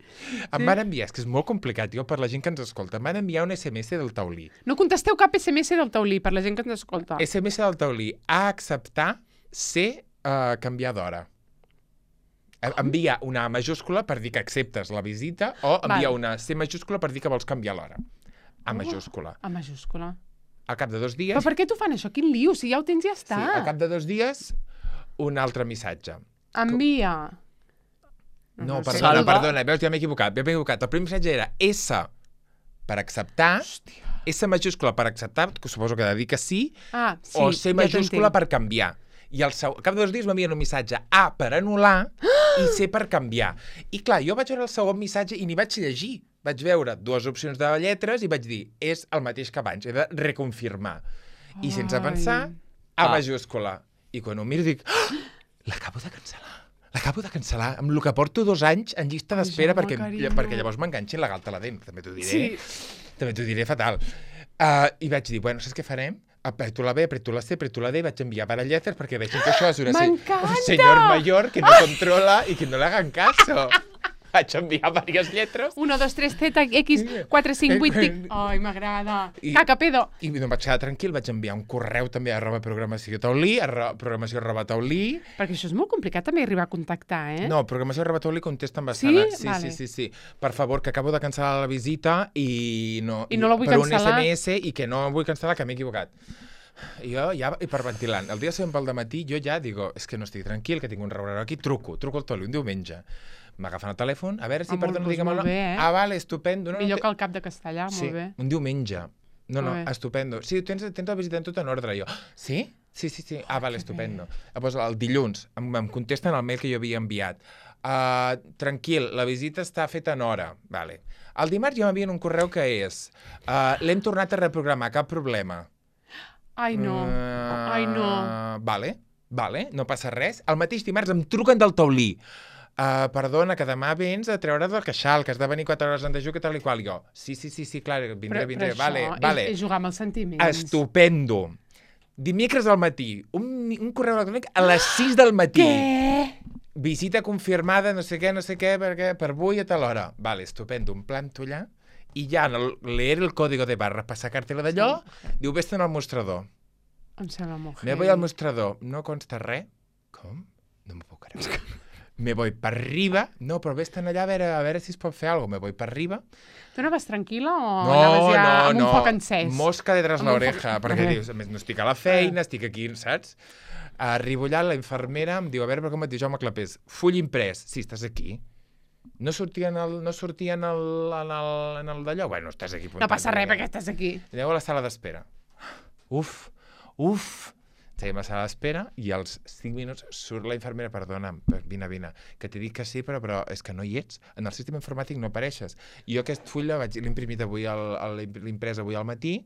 Em van enviar, és que és molt complicat, jo, per la gent que ens escolta, em van enviar un S M S del taulí. No contesteu cap S M S del taulí per la gent que ens escolta. S M S del taulí, a acceptar ser uh, canviar d'hora. Eh, Envia una A majúscula per dir que acceptes la visita o envia Val. una C majúscula per dir que vols canviar l'hora. A Oh. majúscula. A majúscula. Al cap de dos dies... Però per què t'ho fan això? Quin lío? Si ja ho tens, ja Sí, està. al cap de dos dies, un altre missatge. Envia. No, no sé. perdona, Salva. perdona, veus, ja m'he equivocat, ja m'he equivocat. El primer missatge era S per acceptar, Hòstia. S majúscula per acceptar, que suposo que ha de dir que sí, Ah, sí, o C ja majúscula t'entenc. per canviar. I al, seu, al cap de dos dies m'envien un missatge A per anul·lar i C per canviar. I clar, jo vaig veure el segon missatge i n'hi vaig llegir. Vaig veure dues opcions de lletres i vaig dir, és el mateix que abans, he de reconfirmar. I sense Ai. pensar, A Ah. majúscula. I quan ho miro dic, oh, l'acabo de cancel·lar. L'acabo de cancel·lar, amb el que porto dos anys en llista Ai, d'espera, Jaume, perquè, carinyo. perquè llavors m'enganxin la galta a la dent, també t'ho diré. Sí. També t'ho diré fatal. Uh, I vaig dir, bueno, saps què farem? Apreto la B, apreto la C, apreto la D, vaig enviar per a lletres perquè vegin que això és una se M'encanta! un senyor mayor que no controla i que no le hagan caso. Vaig enviar diverses lletres uno, dos, tres, Z, X, quatre, cinc, vuit, tic. Ai, m'agrada. I- Caca, pedo. i no em vaig quedar tranquil, vaig enviar un correu també a arroba programació taulí, arroba programació arroba taulí. Perquè això és molt complicat també arribar a contactar, eh? No, programació arroba taulí contesta amb Sí? bastant. Sí, Vale. sí, sí, sí. Per favor, que acabo de cancel·lar la visita i no, I no la vull per cancel·lar. un S M S i que no vull cancel·lar, que m'he equivocat. I jo ja hiperventilant. El dia següent pel dematí jo ja digo, és que no estic tranquil, que tinc un rebreu aquí, truco, truco al taulí un diumenge. M'agafen el telèfon, a veure si Ah, molt- perdona, doncs digue'm el molt nom. bé, eh? Ah, vale, estupendo. No, Millor no, que el cap de castellà, sí, molt bé. un diumenge. No, no, Molt bé. estupendo. Sí, tens, tens la visita tot en ordre. Jo, sí? Sí, sí, sí. Ah, vale, estupendo. Llavors, el dilluns em, em contesten el mail que jo havia enviat. Uh, tranquil, la visita està feta en hora. Vale. El dimarts ja m'envien un correu que és uh, l'hem tornat a reprogramar, cap problema. Ai, no. Uh, Ai, no. Vale, vale, no passa res. El mateix dimarts em truquen del taulí. Uh, perdona, que demà vens a treure del queixal, que has de venir quatre hores en dejú, que tal i qual. Jo, sí, sí, sí, sí, clar, vindré, Però, vindré. però Vale, això vale. és, és jugar amb els sentiments. Estupendo. Dimecres al matí, un, un correu electrònic a les sis del matí. Què? Visita confirmada, no sé què, no sé què, perquè per avui a tal hora. Vale, estupendo, em planto allà i ja en el, leer el código de barra per sacar-te-la d'allò, diu, vés-te'n al mostrador. Em sembla molt Me voy al mostrador, no consta res. Com? No m'ho puc creure. Me voy per arriba. No, però vés-te'n allà a veure, a veure si es pot fer alguna cosa. Me voy per arriba. Tu anaves tranquil·la o No, anaves ja no, amb no. un foc encès? Mosca detrás Amb un l'oreja, foc- perquè Eh. dius, a més, no estic a la feina, estic aquí, saps? Arribo allà, la infermera em diu, a veure, però com et diu Jaume Clapés? Full imprès. Sí, estàs aquí. No sortia en el, no sortia en el, en el, en el d'allò? Bueno, estàs aquí. No passa res perquè estàs aquí. Aneu a la sala d'espera. Uf, uf. Seguim a la sala d'espera i als cinc minuts surt la infermera, perdona'm, vine, vine, que t'he dit que sí, però, però és que no hi ets. En el sistema informàtic no apareixes. I jo aquest full l'he imprimit avui, l'he imprès avui al matí,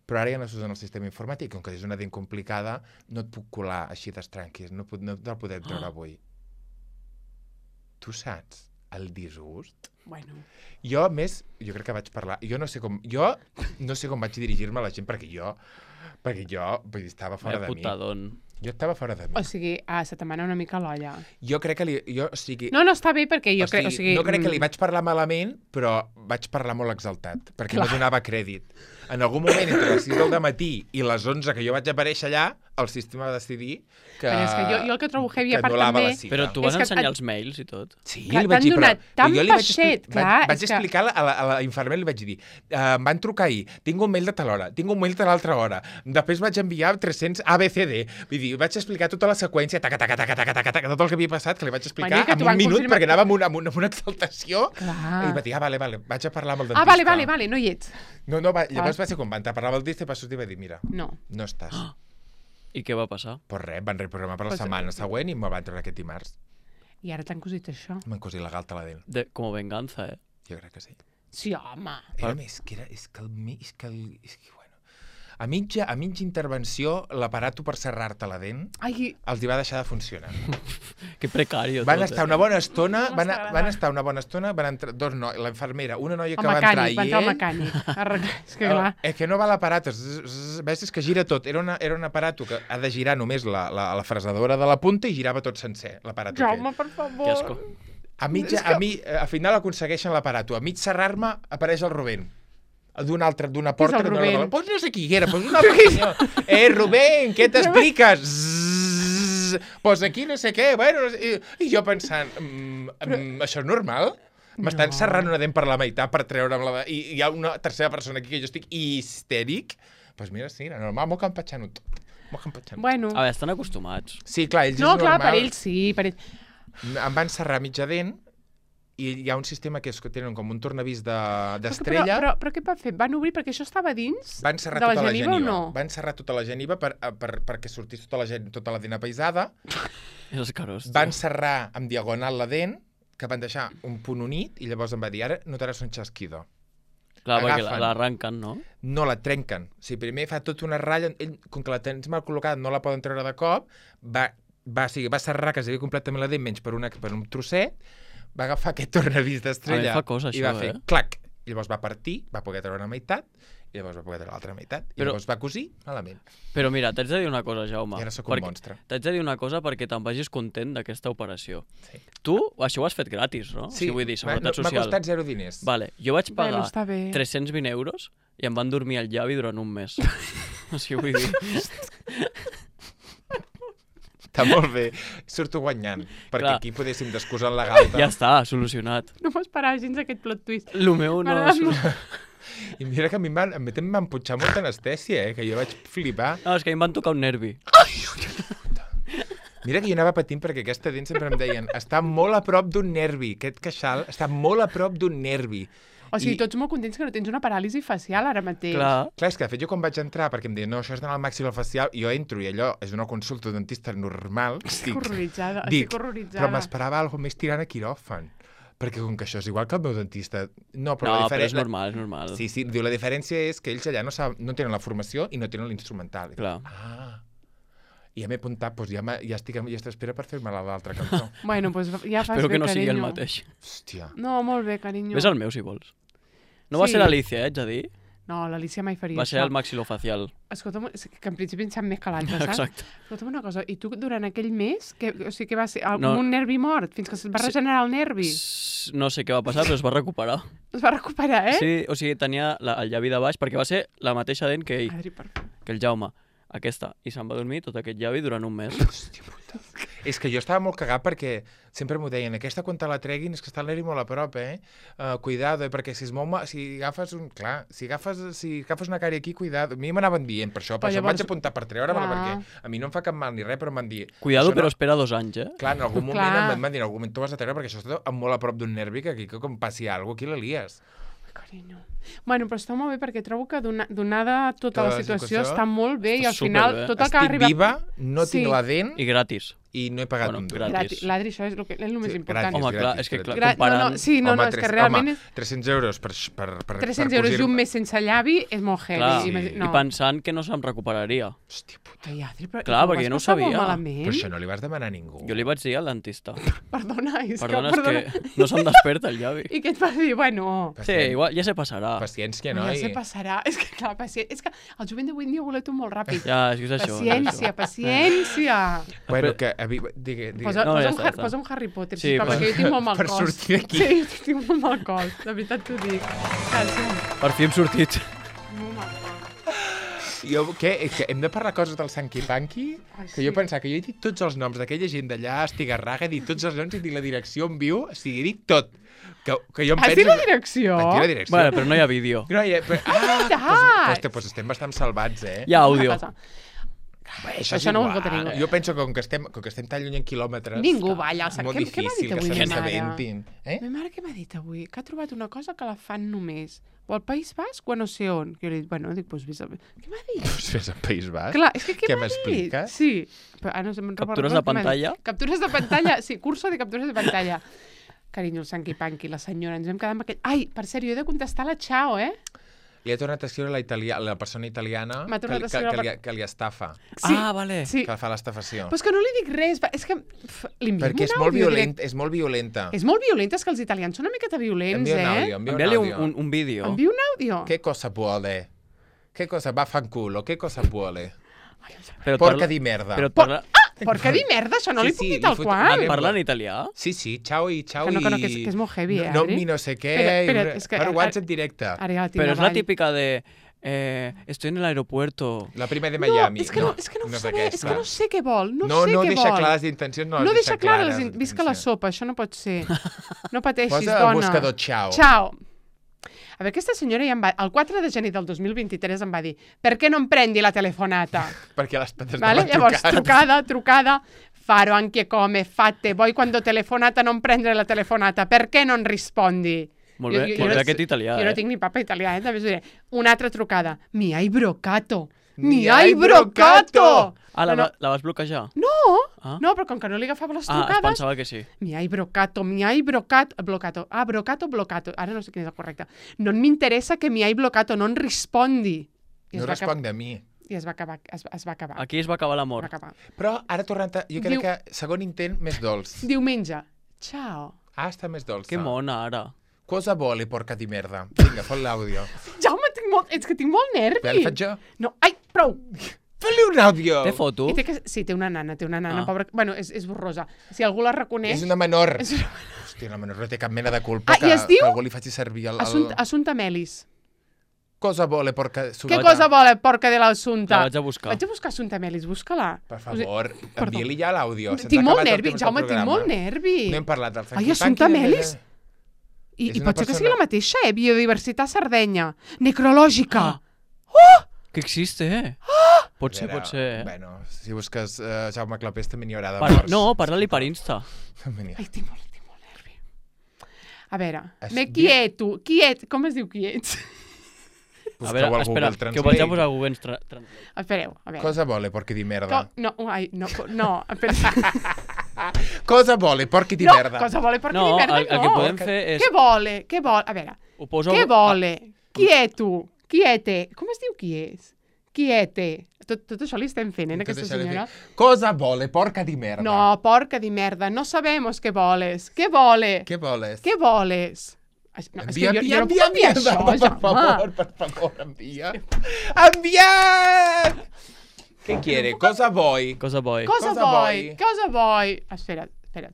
però ara ja no s'usa en el sistema informàtic. Com que és una dent complicada, no et puc colar així d'estranquis, no, no te'l podrem treure avui. Tu saps el disgust. Bueno. Jo, a més, jo crec que vaig parlar... Jo no sé com, jo no sé com vaig dirigir-me a la gent, perquè jo, perquè jo vull dir, estava fora de mi. Putadón. Jo estava fora de mi. O sigui, ah, se te mana una mica l'olla. Jo crec que li... Jo, o sigui, No, no, està bé perquè jo o crec... sigui, O sigui, no crec que li mm, vaig parlar malament, però vaig parlar molt exaltat, perquè Clar. no donava crèdit. En algun moment, entre les sis del matí i les onze que jo vaig aparèixer allà, el sistema va decidir que... Però és que jo- jo el que trobo heavy, que a part anul·lava també- la cita. Però tu vas És que ensenyar et- els mails i tot. Sí, Clar, li vaig t'han dir, però... donat tant però jo li vaig, peixet, expli- clar, vaig, vaig és que- explicar a la, a la infermera, li vaig dir, uh, em van trucar ahir, tinc un mail de tal hora, tinc un mail de l'altra hora, després vaig enviar tres-cents A B C D, vull dir, vaig explicar tota la seqüència, taca, taca, taca, taca, taca, taca, tot el que havia passat, que li vaig explicar Maria, que en t'ho un van minut, confirmar- perquè anava amb una, amb una, amb una exaltació, Clar. i va dir, ah, vale, vale, vaig a parlar amb el dentista. Ah, vale, vale, vale, no hi ets. No, no, va, llavors va ser quan van parlar amb el dentista i va sortir i va dir, mira, No. no estàs. I què va passar? Pues res, van reprogramar per la Pues- setmana següent i me'l van treure aquest dimarts. I ara t'han cosit això. M'han cosit la galta a la dent. De, com a venganza, eh? Jo crec que sí. Sí, home. Era més, que era, és que el... mi- És que el és que, bueno, a mitja, a mitja intervenció, l'aparato per serrar-te la dent Ai, els hi va deixar de funcionar. Que precario Van tot, estar eh? una bona estona, No van, m'està agradant. van estar una bona estona, van entrar dos nois, la infermera, una noia el que va entrar mecànic, i va entrar el ell... mecànic. Arreglar. És que Eh, clar. és que no va l'aparato, zzz, zzz, ves, és que gira tot. Era, una, era un aparato que ha de girar només la, la, la fresadora de la punta i girava tot sencer, l'aparato Jaume, aquell. per favor. Que asco. A, mitja, a, mi, eh, al final aconsegueixen l'aparato. A mig serrar-me apareix el Rubén. D'una altra, d'una Qui és porta el que no Rubén? era... Pues no sé qui era, pues un altre senyor. Eh, Rubén, què t'expliques? Zzz, pues aquí no sé què, bueno... No sé... I, I jo pensant, mm, mm, això és normal? M'estan No. serrant una dent per la meitat per treure'm la... I hi ha una tercera persona aquí que jo estic histèric. Doncs pues mira, sí, era normal, m'ho campatxant tot. M'ho campatxant. Bueno. A veure, estan acostumats. Sí, clar, ells No, és clar, normal. per ells sí, per ells... Em van serrar mitja dent i hi ha un sistema que és que tenen com un tornavís de- Però, d'estrella. però, però què van fer? Van obrir perquè això estava dins Van serrar de la tota la geniva, geniva. o no? Van serrar tota la geniva per, eh, per, perquè sortís tota la, gen, tota la dent apaisada. És escarós. Van serrar amb diagonal la dent, que van deixar un punt unit, i llavors em va dir, ara notaràs un xasquido. Clar, perquè agafen. l'arranquen, no? No la trenquen. O sigui, primer fa tota una ratlla, ell, com que la tens mal col·locada, no la poden treure de cop, va, va, o sigui, va serrar quasi completament la dent, menys per, una, per un trosset, va agafar aquest tornavís d'estrella A mi fa cosa, i va això, fer eh? clac. I llavors va partir, va poder treure una meitat, i llavors va poder treure l'altra meitat. I Però- llavors va cosir malament. Però mira, t'haig de dir una cosa, Jaume. I ara sóc un perquè- monstre. T'haig de dir una cosa perquè te'n vagis content d'aquesta operació. Sí. Tu, això ho has fet gratis, no? O sigui, vull dir, m'ha seguretat m'ha social. costat zero diners. Vale, jo vaig pagar Bueno, està bé. tres-cents vint euros i em van dormir al llavi durant un mes. O sigui, vull dir... Està molt bé. Surto guanyant, perquè Clar. aquí podéssim descusar la galta. Ja està, solucionat. No m'esperava gens aquest plot twist. Lo meu no... M'agrada solu- molt. I mira que a mi em van, a mi també em van punxar molta anestèsia, eh? Que jo vaig flipar. No, és que em van tocar un nervi. Mira que jo anava patint perquè aquesta dent sempre em deien està molt a prop d'un nervi, aquest queixal està molt a prop d'un nervi. O sigui, I- tots molt contents que no tens una paràlisi facial ara mateix. Clar, Clar, és que de fet jo quan vaig entrar, perquè em deien, no, això és d'anar al maxilofacial, jo entro i allò és una consulta de dentista normal. Estic dic, horroritzada, dic, estic horroritzada. però m'esperava alguna més tirant a quiròfan. Perquè com que això és igual que el meu dentista... No, però, no, la però diferència... és normal, és normal. Sí, sí, diu, la diferència és que ells allà no, sab... no tenen la formació i no tenen l'instrumental. I dic, Clar. Ah, i ja m'he apuntat, doncs ja, m'ha- ja estic en llista d'espera per fer-me la l'altra cantó. Bueno, doncs ja fas Espero bé, que no sigui el carinyo. mateix. Hòstia. No, molt bé, carinyo. Ves al meu, si vols. No va Sí. ser l'Alicia, eh, haig de dir. No, l'Alicia mai faria Va ser això. el maxilofacial. Escolta'm, és que en principi em sap més que l'altre, saps? Exacte. Escolta'm una cosa, i tu durant aquell mes, que, o sigui, que va ser el, No. com un nervi mort, fins que se't va Sí. regenerar el nervi? S- No sé què va passar, però es va recuperar. Es va recuperar, eh? Sí, o sigui, tenia la, el llavi de baix, perquè va ser la mateixa dent que ell, Adri, per favor. que el Jaume. Aquesta. I se'n va dormir tot aquest llavi durant un mes. Hòstia puta. És que jo estava molt cagat perquè sempre m'ho deien, aquesta quan te la treguin és que està el nervi molt a prop, eh? Uh, cuidado, eh? Perquè si es mou, ma- si agafes un... Clar, si agafes, si agafes una cària aquí, cuidado. A mi m'anaven dient per això, per Però això em llavors- vaig apuntar per treure-me-la, Clar. perquè a mi no em fa cap mal ni res, però em van dir... Cuidado, "Això però no... espera dos anys, eh? Clar, en algun moment Clar. em van dir, en algun moment t'ho has de treure perquè això està molt a prop d'un nervi, que aquí que com passi alguna cosa, aquí la lies. Ai, carinyo. Bueno, però està molt bé perquè trobo que dona, donada tota, Tota la la situació situació, està molt bé i està al final superbé. tot el que Estic arriba... viva, no Sí. tinc la dent I gratis. i no he pagat Bueno, un dur. gratis. Gratis. L'Adri, això és el, que, és el més Sí, important. gratis. Home, clar, gratis, és que clar, Gra- comparant... no, no, sí, no, home, no, és tres- que realment... home, És... tres-cents euros per, per, per, tres-cents per euros cosir... i un mes sense llavi és molt heavy. Clar, Imagi- i no. pensant que no se'm recuperaria. Hòstia puta, Ai, Adri, però, Clar, i perquè vas no ho passar molt sabia. Malament? però això no li vas demanar a ningú. Jo li vaig dir al dentista. Perdona, és Perdona, que... és Perdona. que no se'm desperta el llavi. I què et va dir? Bueno... Sí, igual, ja se passarà. Paciència, No, no? ja se passarà. És que, clar, paciència. És que el jovent d'avui en dia ho voleu tot molt ràpid. Ja, és que és això. Paciència, paciència. Bueno, que... Avi... Digui, digui. Posa, No, posa, ja un, està, Har- ja està. posa un Harry Potter, Sí, sisplau, per- perquè jo tinc molt mal per cos. sortir d'aquí. Sí, jo tinc molt mal cos, de veritat t'ho dic. Gràcies. Per fi hem sortit. Molt mal cos. Jo, què? Que hem de parlar coses del Sanky Panky? Ai, Que jo sí. pensava que jo he dit tots els noms d'aquella gent d'allà, Estigarraga, he dit tots els noms, he dit la direcció on viu, o sigui, he dit tot. Que, que jo em Has penso... dit la direcció? Vaig dir la direcció. Bueno, però no hi ha vídeo. No, ja, però, ah, veritat! pues, pues, pues estem bastant salvats, eh? Hi ha àudio. Una cosa. Bé, Això és no ho igual. pot tenir ningú. Jo penso que com que estem, com que estem tan lluny en quilòmetres... Ningú va allà al és Sant- molt Què- què m'ha dit difícil que avui se ma mare? n'assabentin. Eh? Ma mare què m'ha dit avui? Que ha trobat una cosa que la fan només. O al País Basc o a no sé on. Que jo li dic, bueno, dic, doncs vés a... Què m'ha dit? Pues fes al País Basc. Clar, és que què, Què m'ha dit? m'expliques? Sí. Però, ah, no, sé, me'n Captures recordo de què m'ha dit. pantalla? Captures de pantalla, sí, curso de captures de pantalla. Carinyo, el Sanky Panky, la senyora, ens vam quedar amb aquell... Ai, per cert, jo he de contestar la Chao, eh? Li ha tornat a escriure la, italia... la persona italiana M'ha que, tornat a que, escriure que, la- li, que li estafa, Sí, Ah, vale. sí. que fa l'estafació. Però és que no li dic res, va- és que pf, li enviem Perquè és un molt, àudio violent, direct. és molt violenta. És molt violenta, és que els italians són una miqueta violents, Envia un eh? àudio, envia un Envia-li un, àudio. un, un vídeo. Envia un àudio. ¿Qué cosa vuole? ¿Qué cosa? Va fanculo, ¿qué cosa vuole? Però et Porca parla- di merda. Però et Por- parla, Per què dir merda? Això no Sí, li puc sí, dir li tal fot- qual. li- parla en italià? Sí, sí, ciao i ciao Que no, que no, i... que és- que és molt heavy, eh, No, Adri? mi no sé què, Espera, espera, i... és que- per ara- WhatsApp directe. Ara ja la tinc Però és la avall. típica de... Eh, estoy en el aeropuerto. La prima de No, Miami. és que no, és que no, ho és sabé, és aquesta. que no sé què vol, no, no, sé no què deixa vol. clar les intencions, no, No les deixa clar, les clares, in... visca la intencions. sopa, això no pot ser. No pateixis, Posa dona. al buscador ciao. Ciao. A veure, aquesta senyora ja em va... El quatre de gener del dos mil vint-i-tres em va dir per què no em prendi la telefonata? Perquè les pates Vale? estaven Llavors, trucades. trucada, trucada, faro anche come, fate, voi quando telefonata non prendere la telefonata, perché non rispondi? Molt bé, molt bé aquest italià, Jo eh? no tinc ni papa italià, eh? També us diré. Una altra trucada. Mi hai brocato. Mi Mi hai hai brocato. Ah, la, No, va- la vas bloquejar? No, Ah. no, però com que no li agafava les Ah, es trucades... pensava que sí. Mi hai brocato, mi hai brocato, blocato. Ah, brocato, blocato. Ara no sé quin és el correcte. No m'interessa que mi hai blocato, no en rispondi. I es, No va, acabar, responc de mi. i es va acabar. Es, es va acabar. Aquí es va acabar Es l'amor. va acabar. Però ara tornant a... Jo crec Diu- que segon intent més dolç. Diumenge. Ciao. Ah, està més dolça. Que mona, ara. Cosa vuole, porca di merda? Vinga, fot l'àudio. Jaume, tinc molt, és que tinc molt nervi. Bé, el faig jo? No, ai, prou. Fot-li un àudio! Té foto? I té que... Sí, té una nana, té una nana, Ah. pobra... Bueno, és, és borrosa. Si algú la reconeix... És una menor. És una... Hòstia, la menor no té cap mena de culpa Ah, que, i es diu? que algú li faci servir el... el... Assumpta, Assumpta Melis. Cosa vuole, porca... Què cosa vol, porca de l'Assumpta? La vaig a buscar. Vaig a buscar Assumpta Melis, busca-la. Per favor, Perdó. envia-li ja l'àudio. Se'ns Tinc ha molt acabat el nervi, temps del Jaume, tinc programa. molt nervi. No hem parlat del Ai, Funky Assumpta Funky, de- Melis? I, És i una pot ser que persona- sigui la mateixa, eh? Biodiversitat Sardenya. Necrològica. Que existe, eh? Pot ser, Vera, pot ser. eh? Bueno, si busques uh, Jaume Clapés també n'hi haurà de Parla, morts. no, parla-li per Insta. També n'hi ha. Ai, tinc molt, tinc molt nervi. A veure, Es me diu- quieto, quiet, com es diu quiets? A Busqueu veure, al espera, Google que ho vaig a Translate. posar a Google Tra- Translate. Espereu, a veure. Cosa vuole, porca di merda? Co no, ai, no, no, espera. Cosa vuole, porca di no, merda? cosa vuole porca No, di merda, el, el no. que podem fer és... Què vole? Què vol? A veure, Ho poso... què vole? Qui és tu? Qui és te? Com es diu qui és? Qui és te? Tot, tot això li estem fent, eh, a Tot aquesta això li senyora? dic, Cosa vuole, porca di merda? No, porca di merda, no sabemos què voles. Què vole? Què voles? Què voles? Es- No, és que Envia, jo, envia, jo no puc envia, enviar envia, això, per Jaume. favor, per favor, envia. Enviat! Què quiere? Cosa vuoi? Cosa vuoi? Cosa Cosa vuoi? vuoi? Cosa vuoi? Espera, espera.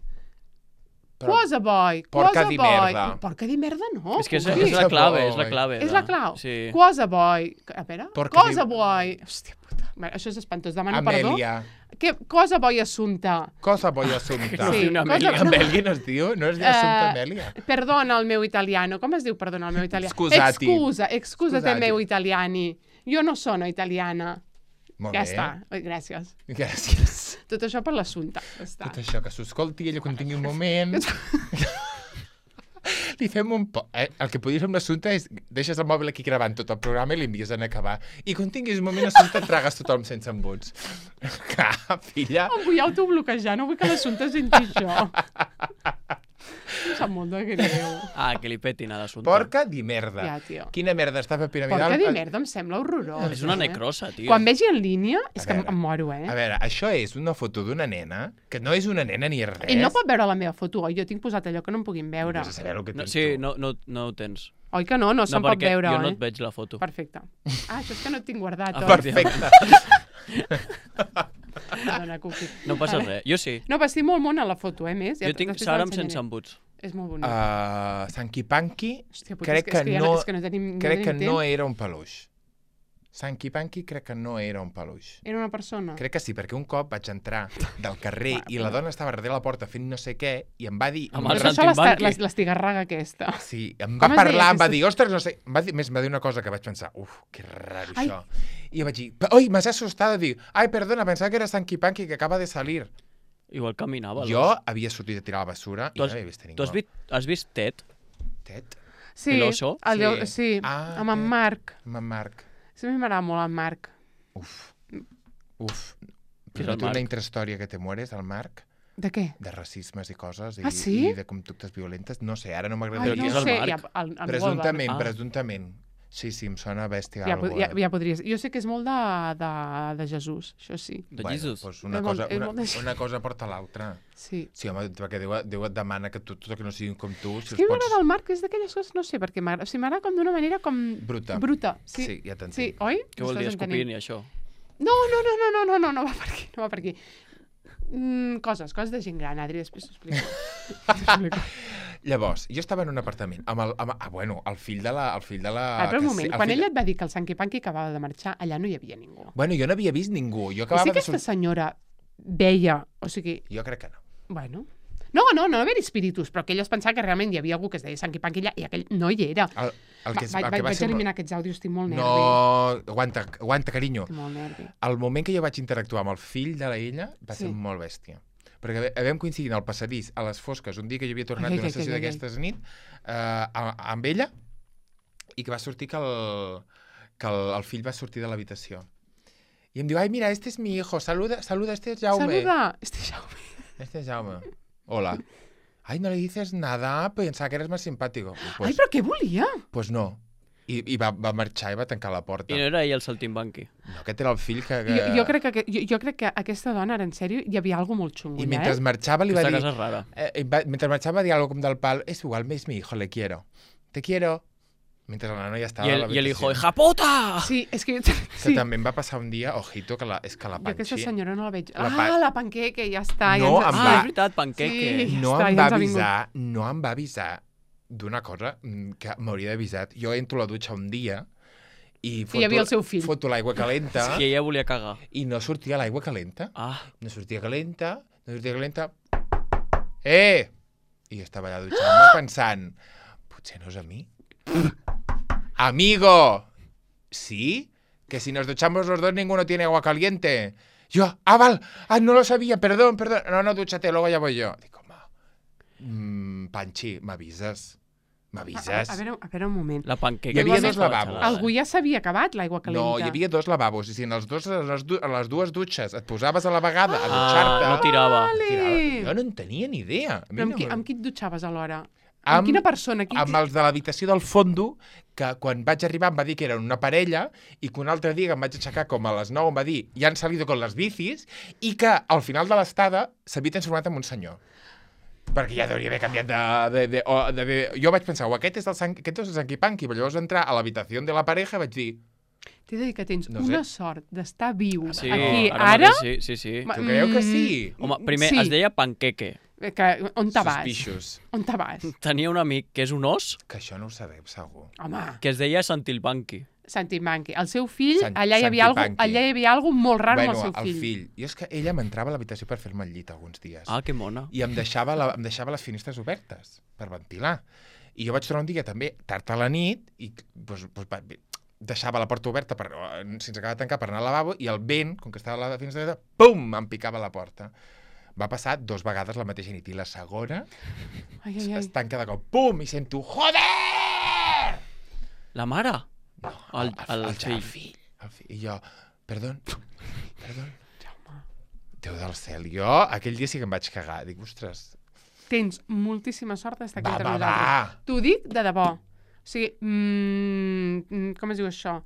Però- Cosa vuoi? Porca Cosa di vuoi? merda. Porca di merda no. És que és, puc és dir. la clave, és vuoi? la clave. És de- la clau. Sí. Cosa vuoi? A veure, Porca cosa di- vuoi? Hòstia puta, Bé, això és espantós, demano perdó. Amèlia. Què, cosa vuoi assumpta? Cosa vuoi assumpta? Sí, una cosa- Amèlia. Amèlia no es diu? No es diu assumpta Eh, Amèlia? Perdona el meu italiano. Com es diu perdona el meu italiano? Scusati. Excusa, excusate Scusati. meu italiani. Jo no sono italiana. Molt Ja bé. està. Oi, gràcies. Gràcies. Tot això per l'assumpte. Ja està. Tot això, que s'ho escolti ella quan tingui un moment. li fem un... Po eh, el que podries fer amb l'assumpte és deixes el mòbil aquí gravant tot el programa i l'envies en acabar. I quan tinguis un moment assumpte et tragues tothom sense embuts. Clar, filla. Em vull autobloquejar, no vull que l'assumpte senti això. Em sap molt de greu. Ah, que li petin a l'assumpte. Porca di merda. Ja, tio. Quina merda està per piramidal. Porca di merda, em sembla horrorós. És una eh? necrosa, tio. Quan vegi en línia, és A que veure, em moro, eh? A veure, això és una foto d'una nena, que no és una nena ni res. Ell no pot veure la meva foto, oi? Jo tinc posat allò que no em puguin veure. Vés a saber el que No, tens sí, tu. no, no, no ho tens. Oi que no? No se'n no, pot perquè veure, jo no eh? et veig la foto. Perfecte. Ah, això és que no et tinc guardat, Ah, oi? Perfecte. Perdona, Cuqui. No passa res. Jo sí. No, però estic molt mona a la foto, eh, més. Jo tinc després Sara amb l'ensenyaré. sense embuts. És molt bonic. Uh, Sanky Panky, Hòstia, puta, crec és que, és que que, ja no, no, és que no tenim, crec no que tenim no temps. era un peluix. Sanky Panky crec que no era un peluix. Era una persona. Crec que sí, perquè un cop vaig entrar del carrer Va, i la dona estava darrere la porta fent no sé què i em va dir... Amb Però el és això l'esta- Rantimbanqui. l'es- l'estigarraga aquesta. Sí, em Com va es deia parlar, em va aquesta- dir, ostres, no sé... Em va dir, més, em va dir una cosa que vaig pensar, uf, que raro Ai. això. I jo vaig dir, oi, m'has assustada, dic, ai, perdona, pensava que era Sanky Panky que acaba de salir. Igual caminava. Jo havia sortit a tirar la basura i Tu no has, havia vist a ningú. tu has, vist, has vist Ted? Tet? Sí, El oso? el Sí. de- sí, Ah, amb en aquest. Marc. Amb en Marc. Sí, a mi m'agrada molt el Marc. Uf. Uf. Qui és Però el tu una Marc? intrahistòria que te mueres, el Marc, De què? de racismes i coses, i, Ah, sí? i de conductes violentes, no sé, ara no Ai, m'agradaria... qui no és ho el sé, Marc? ja, el, el Presumptament, Ah. presumptament. Sí, sí, em sona bèstia. Ja, algo, pod- ja, eh? ja podries... Jo sé que és molt de, de, de Jesús, això sí. De Bueno, Jesus. doncs una, És molt- cosa, és una, molt de- una cosa porta l'altra. Sí. Sí, home, perquè Déu, Déu et demana que tu, tot el que no siguin com tu, si És que els m'agrada pots... el Marc, és d'aquelles coses, no sé per què m'agrada. O sigui, m'agrada com d'una manera com... Bruta. Bruta, sí. Sí, ja t'entenc. Sí, oi? Què vol dir M'estàs entenent? escopint i això? No, no, no, no, no, no, no, no va per aquí, no va per aquí. Mm, coses, coses de gent gran, Adri, després t'ho explico. T'ho explico. Llavors, jo estava en un apartament amb el... Amb, ah, bueno, el fill de la... El fill de la Ah, però un que moment, sí, el quan fill ella et va dir que el Sanky Panky acabava de marxar, allà no hi havia ningú. Bueno, jo no havia vist ningú. Jo I acabava si de aquesta sortir... senyora veia, o sigui, Jo crec que no. bueno... No, no, no va haver espíritus, però que ella es pensava que realment hi havia algú que es deia Sanky Panky allà i aquell no hi era. El, el que, Va, el va, que va vaig ser... eliminar aquests àudios, estic molt nervi. No, aguanta, aguanta, carinyo. Estic molt nervi. El moment que jo vaig interactuar amb el fill de la ella va ser Sí. molt bèstia. Perquè vam coincidir al passadís a les fosques un dia que jo havia tornat Ai, d'una ai, ai, sessió ai, ai. d'aquestes nit eh, a- amb ella i que va sortir que el, que el, el fill va sortir de l'habitació. I em diu, ai, mira, este es mi hijo, saluda, saluda, este es Jaume. Saluda! Este Jaume. Este es Jaume. Hola. Ay, no le dices nada, pensaba que eres más simpático. Pues, Ai, però què volia? pues no. I, i va, va marxar i va tancar la porta. I no era ell el saltimbanqui. No, aquest era el fill que... que... Jo, jo, crec que, jo, jo crec que aquesta dona, ara en sèrio, hi havia alguna molt xungo, I allà, mentre eh? marxava li va Aquesta dir... casa és rara. Eh, eh, va, mentre marxava va dir algo com del pal, es igual, es mi hijo, le quiero. Te quiero. Mentre la nana ja estava I a el, i el hijo, l'habitació. hija puta! Sí, és que... Que Sí, també em va passar un dia, ojito, que la, és que la jo aquesta Panxi senyora no la veig. La ah, pa- la panqueque, ja està. No, ja ens... em Ah, va- és veritat, panqueque. Sí. no Ja està, em ja va ens ha vingut. avisar, no em va avisar d'una cosa mm, que m'hauria d'haver avisat. Jo entro a la dutxa un dia i foto, hi havia el seu fill. foto l'aigua calenta Que ella volia cagar. i no sortia l'aigua calenta. Ah, No sortia calenta, no sortia calenta. Eh! I jo estava allà dutxant-me pensant, potser no és a mi. Amigo! ¿Sí? Que si nos duchamos los dos ninguno tiene agua caliente. Yo, ah, val, ah, no lo sabía, perdón, perdón. No, no, dúchate, luego ya voy yo. Dic, home, mm, Panxi, m'avises? A, a, M'avises? a, veure, a veure un moment. la panqueca. Hi havia que dos estava lavabos. gelada. Algú ja s'havia acabat l'aigua calenta. No, hi havia dos lavabos, i si en els dos, a, les du a les dues dutxes et posaves a la vegada a Ah, dutxar-te... no tirava. Vale. tirava. Jo no en tenia ni idea. A mi Però amb, no qui, me- amb qui et dutxaves alhora? Amb, Amb- quina persona? Qui... amb els de l'habitació del fondo, que quan vaig arribar em va dir que eren una parella, i que un altre dia que em vaig aixecar com a les nou em va dir ja han salido con les bicis, i que al final de l'estada s'havia transformat en un senyor. Perquè ja hauria d'haver canviat de... de, de, o, de, de... Jo vaig pensar, oh, aquest és el, san, aquest és el Sanky Panky, però llavors entrar a l'habitació de la pareja vaig dir, T'he de dir que tens No no sé. una sort d'estar viu Sí, aquí ara, ara. mateix sí, sí, sí. Ma- tu creieu que Mm, sí? Home, primer sí. es deia panqueque. Que, on te vas? Suspicious. On te vas? Tenia un amic que és un os Que això no ho sabeu, segur. Home, que es deia Santilbanqui. Santi Manqui. El seu fill, Sant- allà hi havia Santi algo, Panqui. allà hi havia algo molt raro bueno, amb el seu el fill. fill. Jo és que ella m'entrava a l'habitació per fer-me el llit alguns dies. Ah, que mona. I em deixava, la, em deixava les finestres obertes per ventilar. I jo vaig tornar un dia també tard a la nit i pues, pues, va, deixava la porta oberta per, sense acabar de tancar per anar al lavabo i el vent, com que estava a la finestra oberta, pum, em picava a la porta. Va passar dos vegades la mateixa nit i la segona Ai, ai, ai. es tanca de cop, pum, i sento, joder! La mare? No, El- el, el el, fill. el fill. El fill. I jo, perdó, perdó. Déu del cel, jo aquell dia sí que em vaig cagar. Dic, ostres, Tens moltíssima sort d'estar aquí va, entre va, nosaltres. va. T'ho dic de debò. O sigui, mm, com es diu això?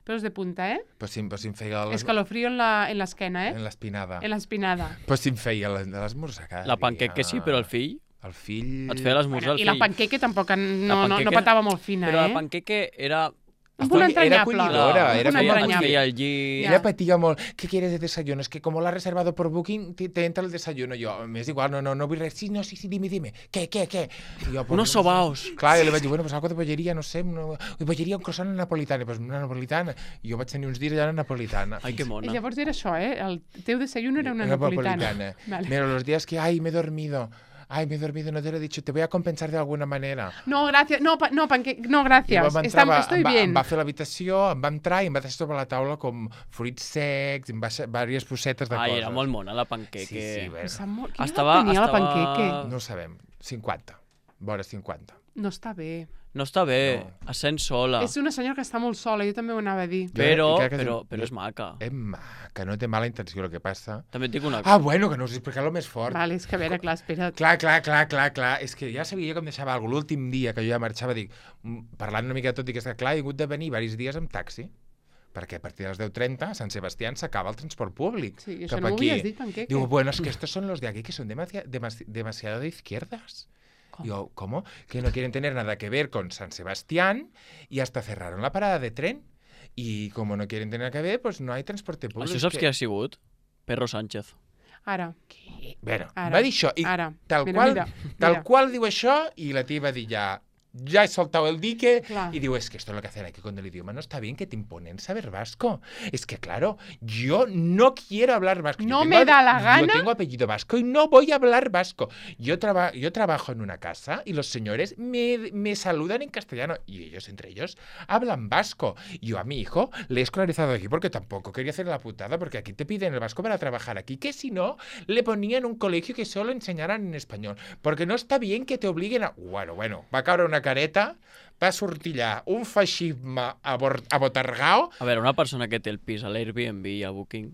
Peus de punta, eh? Però si, però si em feia les- Escalofrío en la- en l'esquena, eh? en l'espinada. En l'espinada. Però si em feia les- de l'esmorzar cada La dia. panqueca sí, però el fill... El fill... Et feia l'esmorzar Bueno, el I fill. la panqueque tampoc en- La no, no, no panqueca- patava molt fina, Però eh? la panqueque era... Un punt Era entranyable. acollidora, Un era punt Et com feia, et entranyable. feia el llit... Ella patia molt. ¿Qué quieres de desayuno? Es que como lo ha reservado por Booking, te, te entra el desayuno. Yo, me es igual, no, no, no vull res. Sí, no, sí, sí, dime, dime. ¿Qué, qué, qué? I jo, pues, Unos sobaos. Clar, jo li vaig dir, bueno, pues algo de bollería, no sé, no, bollería, un croissant napolitana. Pues una napolitana. I jo vaig tenir uns dies allà una napolitana. Ai, que I mona. llavors era això, eh? El teu desayuno era una Una napolitana. napolitana. Vale. Pero los días que, ay, me he dormido. Ay, me he dormido, no te lo he dicho. Te voy a compensar de alguna manera. No, gràcies. No, pa, no, panque... no I gràcies. vam Está, entrar, va, estoy em, va, bien. em va fer l'habitació, em va entrar i em va deixar sobre la taula com fruits secs, em va deixar diverses bossetes de Ai, coses. era molt mona la panqueque. Sí, sí, bé. Em sap molt... Quina Estava- edat tenia la estava- panqueque? No ho sabem. cinquanta. Vora cinquanta. No està bé. No està bé, No. es sent sola. És una senyora que està molt sola, jo també ho anava a dir. Però, Jo crec que però, és- però és maca. És maca, no té mala intenció el que passa. També et dic una Ah, cosa. bueno, que no us he explicat el més fort. Vale, és que a veure, clar, espera't. Clar, clar, clar, clar, clar. És que ja sabia jo que em deixava alguna cosa. L'últim dia que jo ja marxava, dic, mm, parlant una mica de tot, dic, és que clar, he hagut de venir diversos dies amb taxi, perquè a partir de les deu trenta a Sant Sebastián s'acaba el transport públic. Sí, això cap no m'ho aquí. havies dit, panqueque. Digo, bueno, es que estos son los de aquí que son demasi- demasi- demasiado de izquierdas. ¿Cómo? Digo, ¿cómo? Que no quieren tener nada que ver con San Sebastián y hasta cerraron la parada de tren. Y como no quieren tener nada que ver, pues no hay transporte públic. Això saps que... qui ha sigut? Perro Sánchez. Ara, Bueno, Ara, va dir això. I ara. tal, Mira, qual, mira, tal mira. qual diu això y la tía va dir ya, ya he soltado el dique. Clar. Y digo, es que esto es lo que hacen aquí con el idioma. No está bien que te imponen saber vasco. Es que, claro, yo no quiero hablar vasco. Yo No tengo- me da la gana. Yo tengo apellido vasco y no voy a hablar vasco. Yo, traba- yo trabajo en una casa y los señores me, me saludan en castellano y ellos, entre ellos, hablan vasco. Yo a mi hijo le he escolarizado aquí porque tampoco quería hacer la putada, porque aquí te piden el vasco para trabajar aquí, que si no, le ponían un colegio que solo enseñaran en español. Porque no está bien que te obliguen a... Bueno, bueno, va a caure una careta, va a sortir allà un feixisme abor- abotargao. A veure, una persona que té el pis a l'Airbnb i a Booking...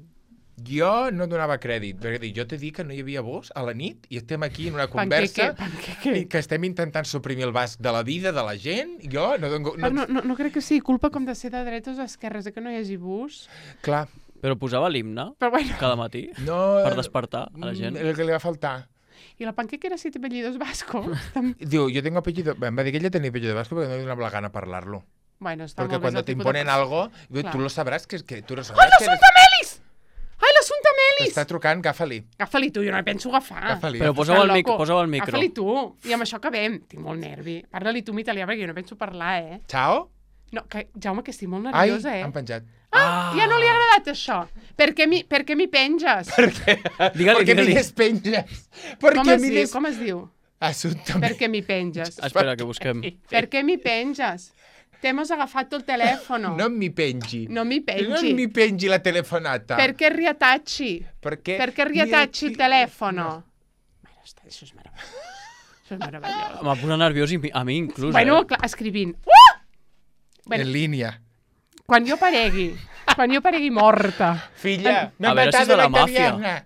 Jo no donava crèdit, perquè dic, jo t'he dit que no hi havia bus a la nit i estem aquí en una conversa Panqueque, i panqueque. que estem intentant suprimir el basc de la vida de la gent. Jo no dono... No, No, no, no, no crec que sigui culpa com de ser de dretes o esquerres, de que no hi hagi bus. Clar, Però posava l'himne Però bueno, cada matí no... per despertar a la gent. El que li va faltar. i la panqueque era si té apellidos vascos. Tam- Diu, yo tengo apellido... Em va dir que ella tenia apellido vasco perquè no li donava la gana parlar-lo. Bueno, està Perquè molt bé, és quan el te tipus de imponen persona. algo, Clar. tu lo sabràs que, que tu lo Ai, sabràs que l'assumpte Melis! Ai, l'assumpte Melis! t'està trucant, agafa-li. Agafa-li tu, jo no el penso agafar. Agafa-li. Però agafa-li. posa'm el, mic Loco. posa'm el micro. Agafa-li tu. I amb això acabem. Tinc molt nervi. Parla-li tu en italià, perquè jo no penso parlar, eh? Ciao? No, que, Jaume, que estic molt Ai, nerviosa, eh? han penjat. Ah, ja no li ha agradat això. Per què mi, per què mi penges? Digue-li, Per què mi digue-li. despenges? Per Com què es mi diu? des... Com es diu? Assumpte Per què mi penges? Espera, que busquem. Per què mi penges? T'hemos agafat el telefono. No mi pengi. No mi No pengi. mi pengi la telefonata. Per què riatacci? Perché Per què riatacci il telefono? Bueno, està, això és meravellós. Això és meravellós. M'ha posat nerviós i mi- a mi inclús, Bueno, eh? clar, escrivint. Uh! Bueno, En línia. quan jo paregui, quan jo paregui morta. Filla, m'ha A veure si és matat de la la màfia. italiana.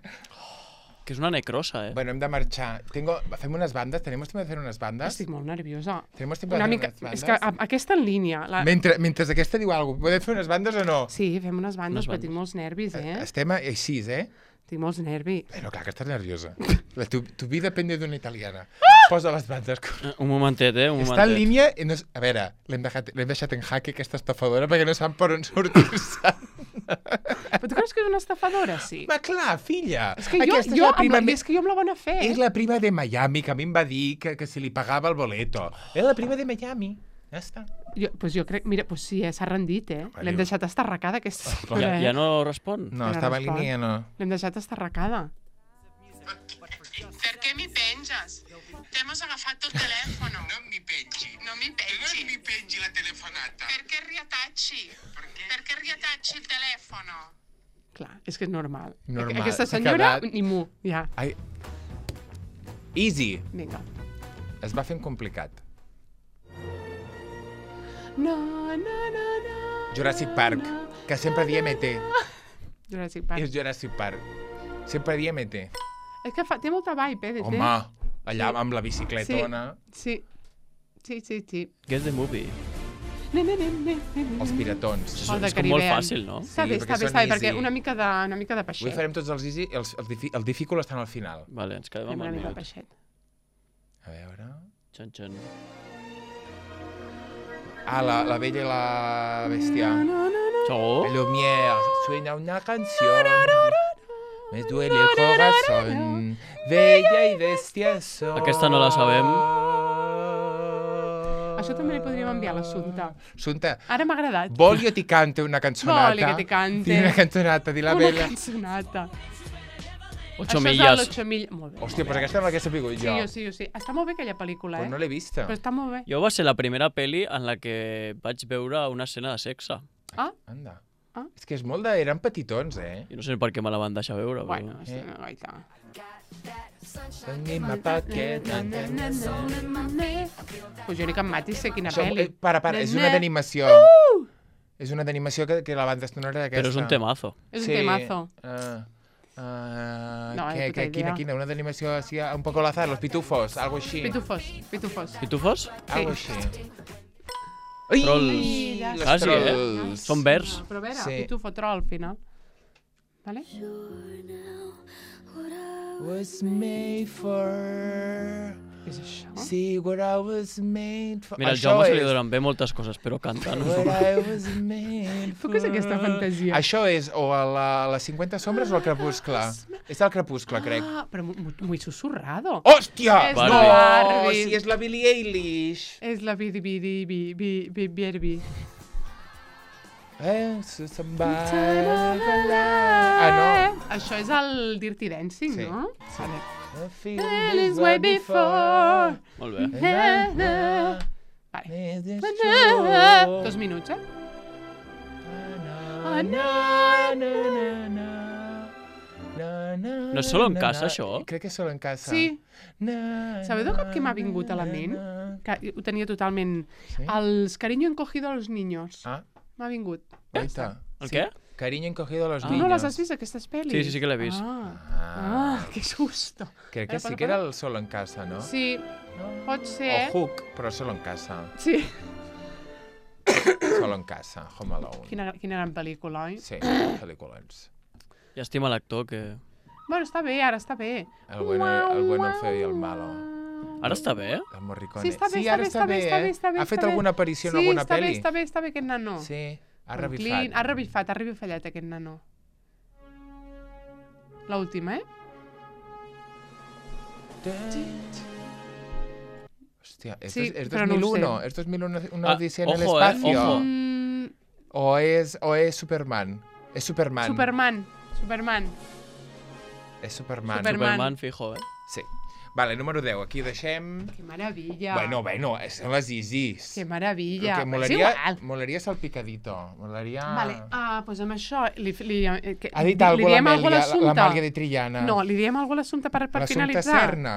Que és una necrosa, eh? Bueno, hem de marxar. Tengo... Fem unes bandes? ¿Tenemos tiempo de hacer unes bandes? Estic molt nerviosa. Tenemos tiempo de Una hacer mica... unes bandes? És que a- aquesta en línia... La... Mentre, mentre aquesta diu alguna cosa, podem fer unes bandes o no? Sí, fem unes bandes, Unes però bandes. tinc molts nervis, eh? Estem així, eh? Tinc molts nervis. Bueno, clar que estàs nerviosa. La, tu, tu vida depende d'una italiana. Posa les bandes. Eh, Un momentet, eh? Un Està en momentet. línia... i No, és- a veure, l'hem deixat, l'hem deixat en jaque, aquesta estafadora, perquè no sap per on sortir-se. Però tu creus que és una estafadora? Sí. Ma clar, filla. És que jo, Aquesta és jo, la amb prima la, me- és que jo amb la bona fe. És la prima de Miami, que a mi em va dir que, que si li pagava el boleto. És la prima de Miami. Ja està. Jo, pues jo crec, mira, pues sí, eh, s'ha rendit, eh? Vale. L'hem deixat estarracada, aquesta Ja, senyora, eh? ja no respon? No, Ara estava en respon. línia, no. L'hem deixat estarracada. Per què mi penges? T'hemos agafat el telefono. No mi pengi. No mi pengi. mi pengi la telefonata. Per què riatacci? Per què riatacci il telefono? Clar, és que és normal. Normal, Aquesta s'ha senyora, quedat- ni mu, ja. Ai, Easy. Vinga. Es va fent complicat. No, no, no, no. Jurassic Park, que sempre diem E T. Jurassic Park. És Jurassic Park. Sempre diem E T. És que fa, té molta vibe, eh, de Home, allà Sí. amb la bicicletona. Sí. Sí, sí, sí. Guess the movie. Ne, ne, ne, ne, ne, ne. Els piratons. És, El de és com molt Caribbean. fàcil, no? Està Sí, bé, perquè està bé, són està bé, perquè easy. una mica de, una mica de Avui peixet. farem tots els easy, els, els, difi, el difficult estan al final. Vale, ens quedem Fem amb una el mica de minut. peixet. A veure... Xan, xan. Ah, la, la bella i la bèstia. Segur? Lumière, suena una canción. Me duele el corazón. Bella i bèstia son. Aquesta no la sabem. Això també li podríem enviar a l'Assumpta. Assumpta, Ara m'ha agradat. vol jo ti cante una cançonata? Voli que ti cante. Di una cançonata, di la Una bella. cançonata. Ocho Això és milles. l'Ocho milles. Molt bé. Hòstia, però aquesta no l'hagués sabut Sí, jo. jo sí, jo sí. Està molt bé aquella pel·lícula, Però eh? no l'he vista. Però està molt bé. Jo va ser la primera pel·li en la que vaig veure una escena de sexe. Ah, Anda. Ah. És que és molt de... Eren petitons, eh? I no sé per què me la van deixar veure. bueno, Però... sí, Eh. no, gaita. In my pocket. Pues jo ni que em matis sé quina Això, pel·li. eh, para, para, és una d'animació. És una d'animació que, que la banda sonora d'aquesta. Però és un temazo. És un temazo. Uh, uh, No, que, ni puta que, quina, idea. quina? Una d'animació així, un poco al azar, los pitufos, algo així. Pitufos, pitufos. Pitufos? Algo així. Trolls. Ai, ja los Quasi, eh? trolls. Són verds. Però a veure, Sí. pitufo troll al final. Vale? Was made for... Què és això? See what I was made for... Mira, al Això Jaume se li és donen bé moltes coses, però cantar no. What I was made Tu què és aquesta fantasia? Això és o a la, a les cinquanta sombres o al crepuscle. És el crepuscle, crec. Ah, però mu- mu- muy susurrado. Hòstia! És No! la Barbie. Si és la Billie Eilish. És la bidi bidi bi bi bi bierbi. Eh, so somebody Ah, no. Això és el Dirty Dancing, Sí. no? Sí. Vale. I feel Hell this is way before. Molt bé. Vale. Is this true? Dos minuts, eh? Na, na, na, na, na, na, na, No és solo en na, casa, na. això? Crec que és solo en casa. Sí. Na, Sabeu de cop que m'ha na, vingut a la na, ment? na. Que ho tenia totalment... Sí? Els cariño encogido a los niños. Ah, M'ha vingut. guaita. El què? Cariño encogido a los Ah. niños. No les has vist, aquestes pel·lis? Sí, sí, sí que l'he vist. Ah, Ah, ah que susto. crec que Eh, sí para, que era para. el solo en casa, no? Sí, No? pot ser. O Hook, però solo en casa. Sí. Solo en casa, Home Alone. Quina, quina gran pel·lícula, oi? Sí, pel·lícules. Llàstima l'actor que... Bueno, està bé, ara està bé. El bueno, el bueno, el feo i el malo. Ara està bé? El Morricone. Sí, està bé, sí, està ara bé, està bé, està bé, eh? està bé. Ha fet està bé. alguna aparició en sí, alguna està pel·li? bé, està bé, està bé aquest nano. Sí, ha En revifat. Clint, ha revifat, ha revifallat aquest nano. L'última, eh? Hòstia, ¿esto Sí, es, es però no ho dos mil uno? sé. ¿Es dos mil uno una Ah, odisea en el ojo, eh, espacio? ojo. Mm, ¿O, es, ¿O es Superman? Es Superman. Superman. Superman. És Superman. Superman. Superman, fijo, eh? Sí. Vale, número deu. Aquí ho deixem... Que meravella. Bueno, bueno, són les easies. Que meravella. Que És molaria, igual. molaria salpicadito. Molaria... Vale, ah, doncs amb això... Li, li, eh, que, Ha dit li alguna diem cosa alguna a l'Amèlia, l'Assumpta? l'Amàlia de Trillana. No, li diem alguna a l'Assumpta per, per L'Assumpta finalitzar. Serna.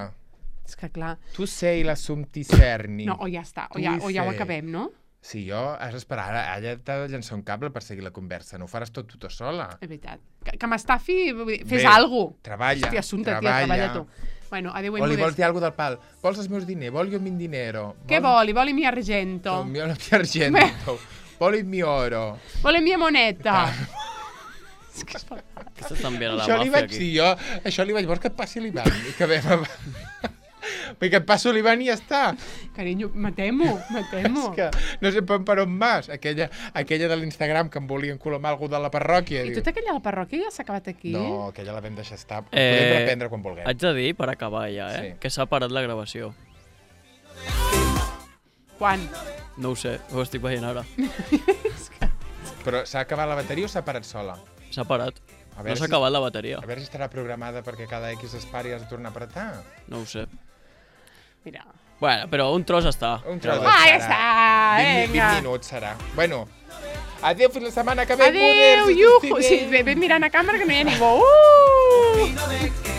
És que clar... Tu sei l'Assumpti Serni. No, o ja està, o Tu ja, hi o ja ho sé. acabem, no? Sí, jo has d'esperar. Ara ella t'ha de llançar un cable per seguir la conversa. No ho faràs tot tu sola. És veritat. Que, que m'estafi, vull dir, fes Bé, alguna cosa. treballa, Hòstia, Assumpta, tia, treballa. treballa tu. Bueno, adéu i O li vols modest. dir alguna del pal? Vols els meus diners? Vols jo min dinero? Què voli? Voli mi argento. El mio argento. Vols mi oro. Voli mia moneta. És que és per- Aquesta està enviant a la Això li màfia vaig aquí. dir jo. Això li vaig dir, vols que et passi l'Ivan? I que ve... Perquè et passo l'Ivan i ja està. Carinyo, matem-ho, matem-ho. És que no sé per, per on vas. Aquella, aquella de l'Instagram que em volien colomar algú de la parròquia. I diu. tota aquella de la parròquia ja s'ha acabat aquí? No, aquella la vam deixar estar. Eh, Podem reprendre quan vulguem. Haig de dir, per acabar ja, eh? Sí. Que s'ha parat la gravació. Quan? No ho sé, ho estic veient ara. Però s'ha acabat la bateria o s'ha parat sola? S'ha parat. A No veure s'ha si- acabat la bateria. A veure si estarà programada perquè cada X es pari i has de tornar a apretar. No ho sé. Mira. Bueno, però un tros està. Un tros Ja Ah, va. ja serà. està, vint, vinga. vint minuts serà. Bueno, adéu fins la setmana que ve. Adéu, moders, iuhu. estic Sí, bé. ve, ve mirant a càmera que no hi ha ningú. Uh!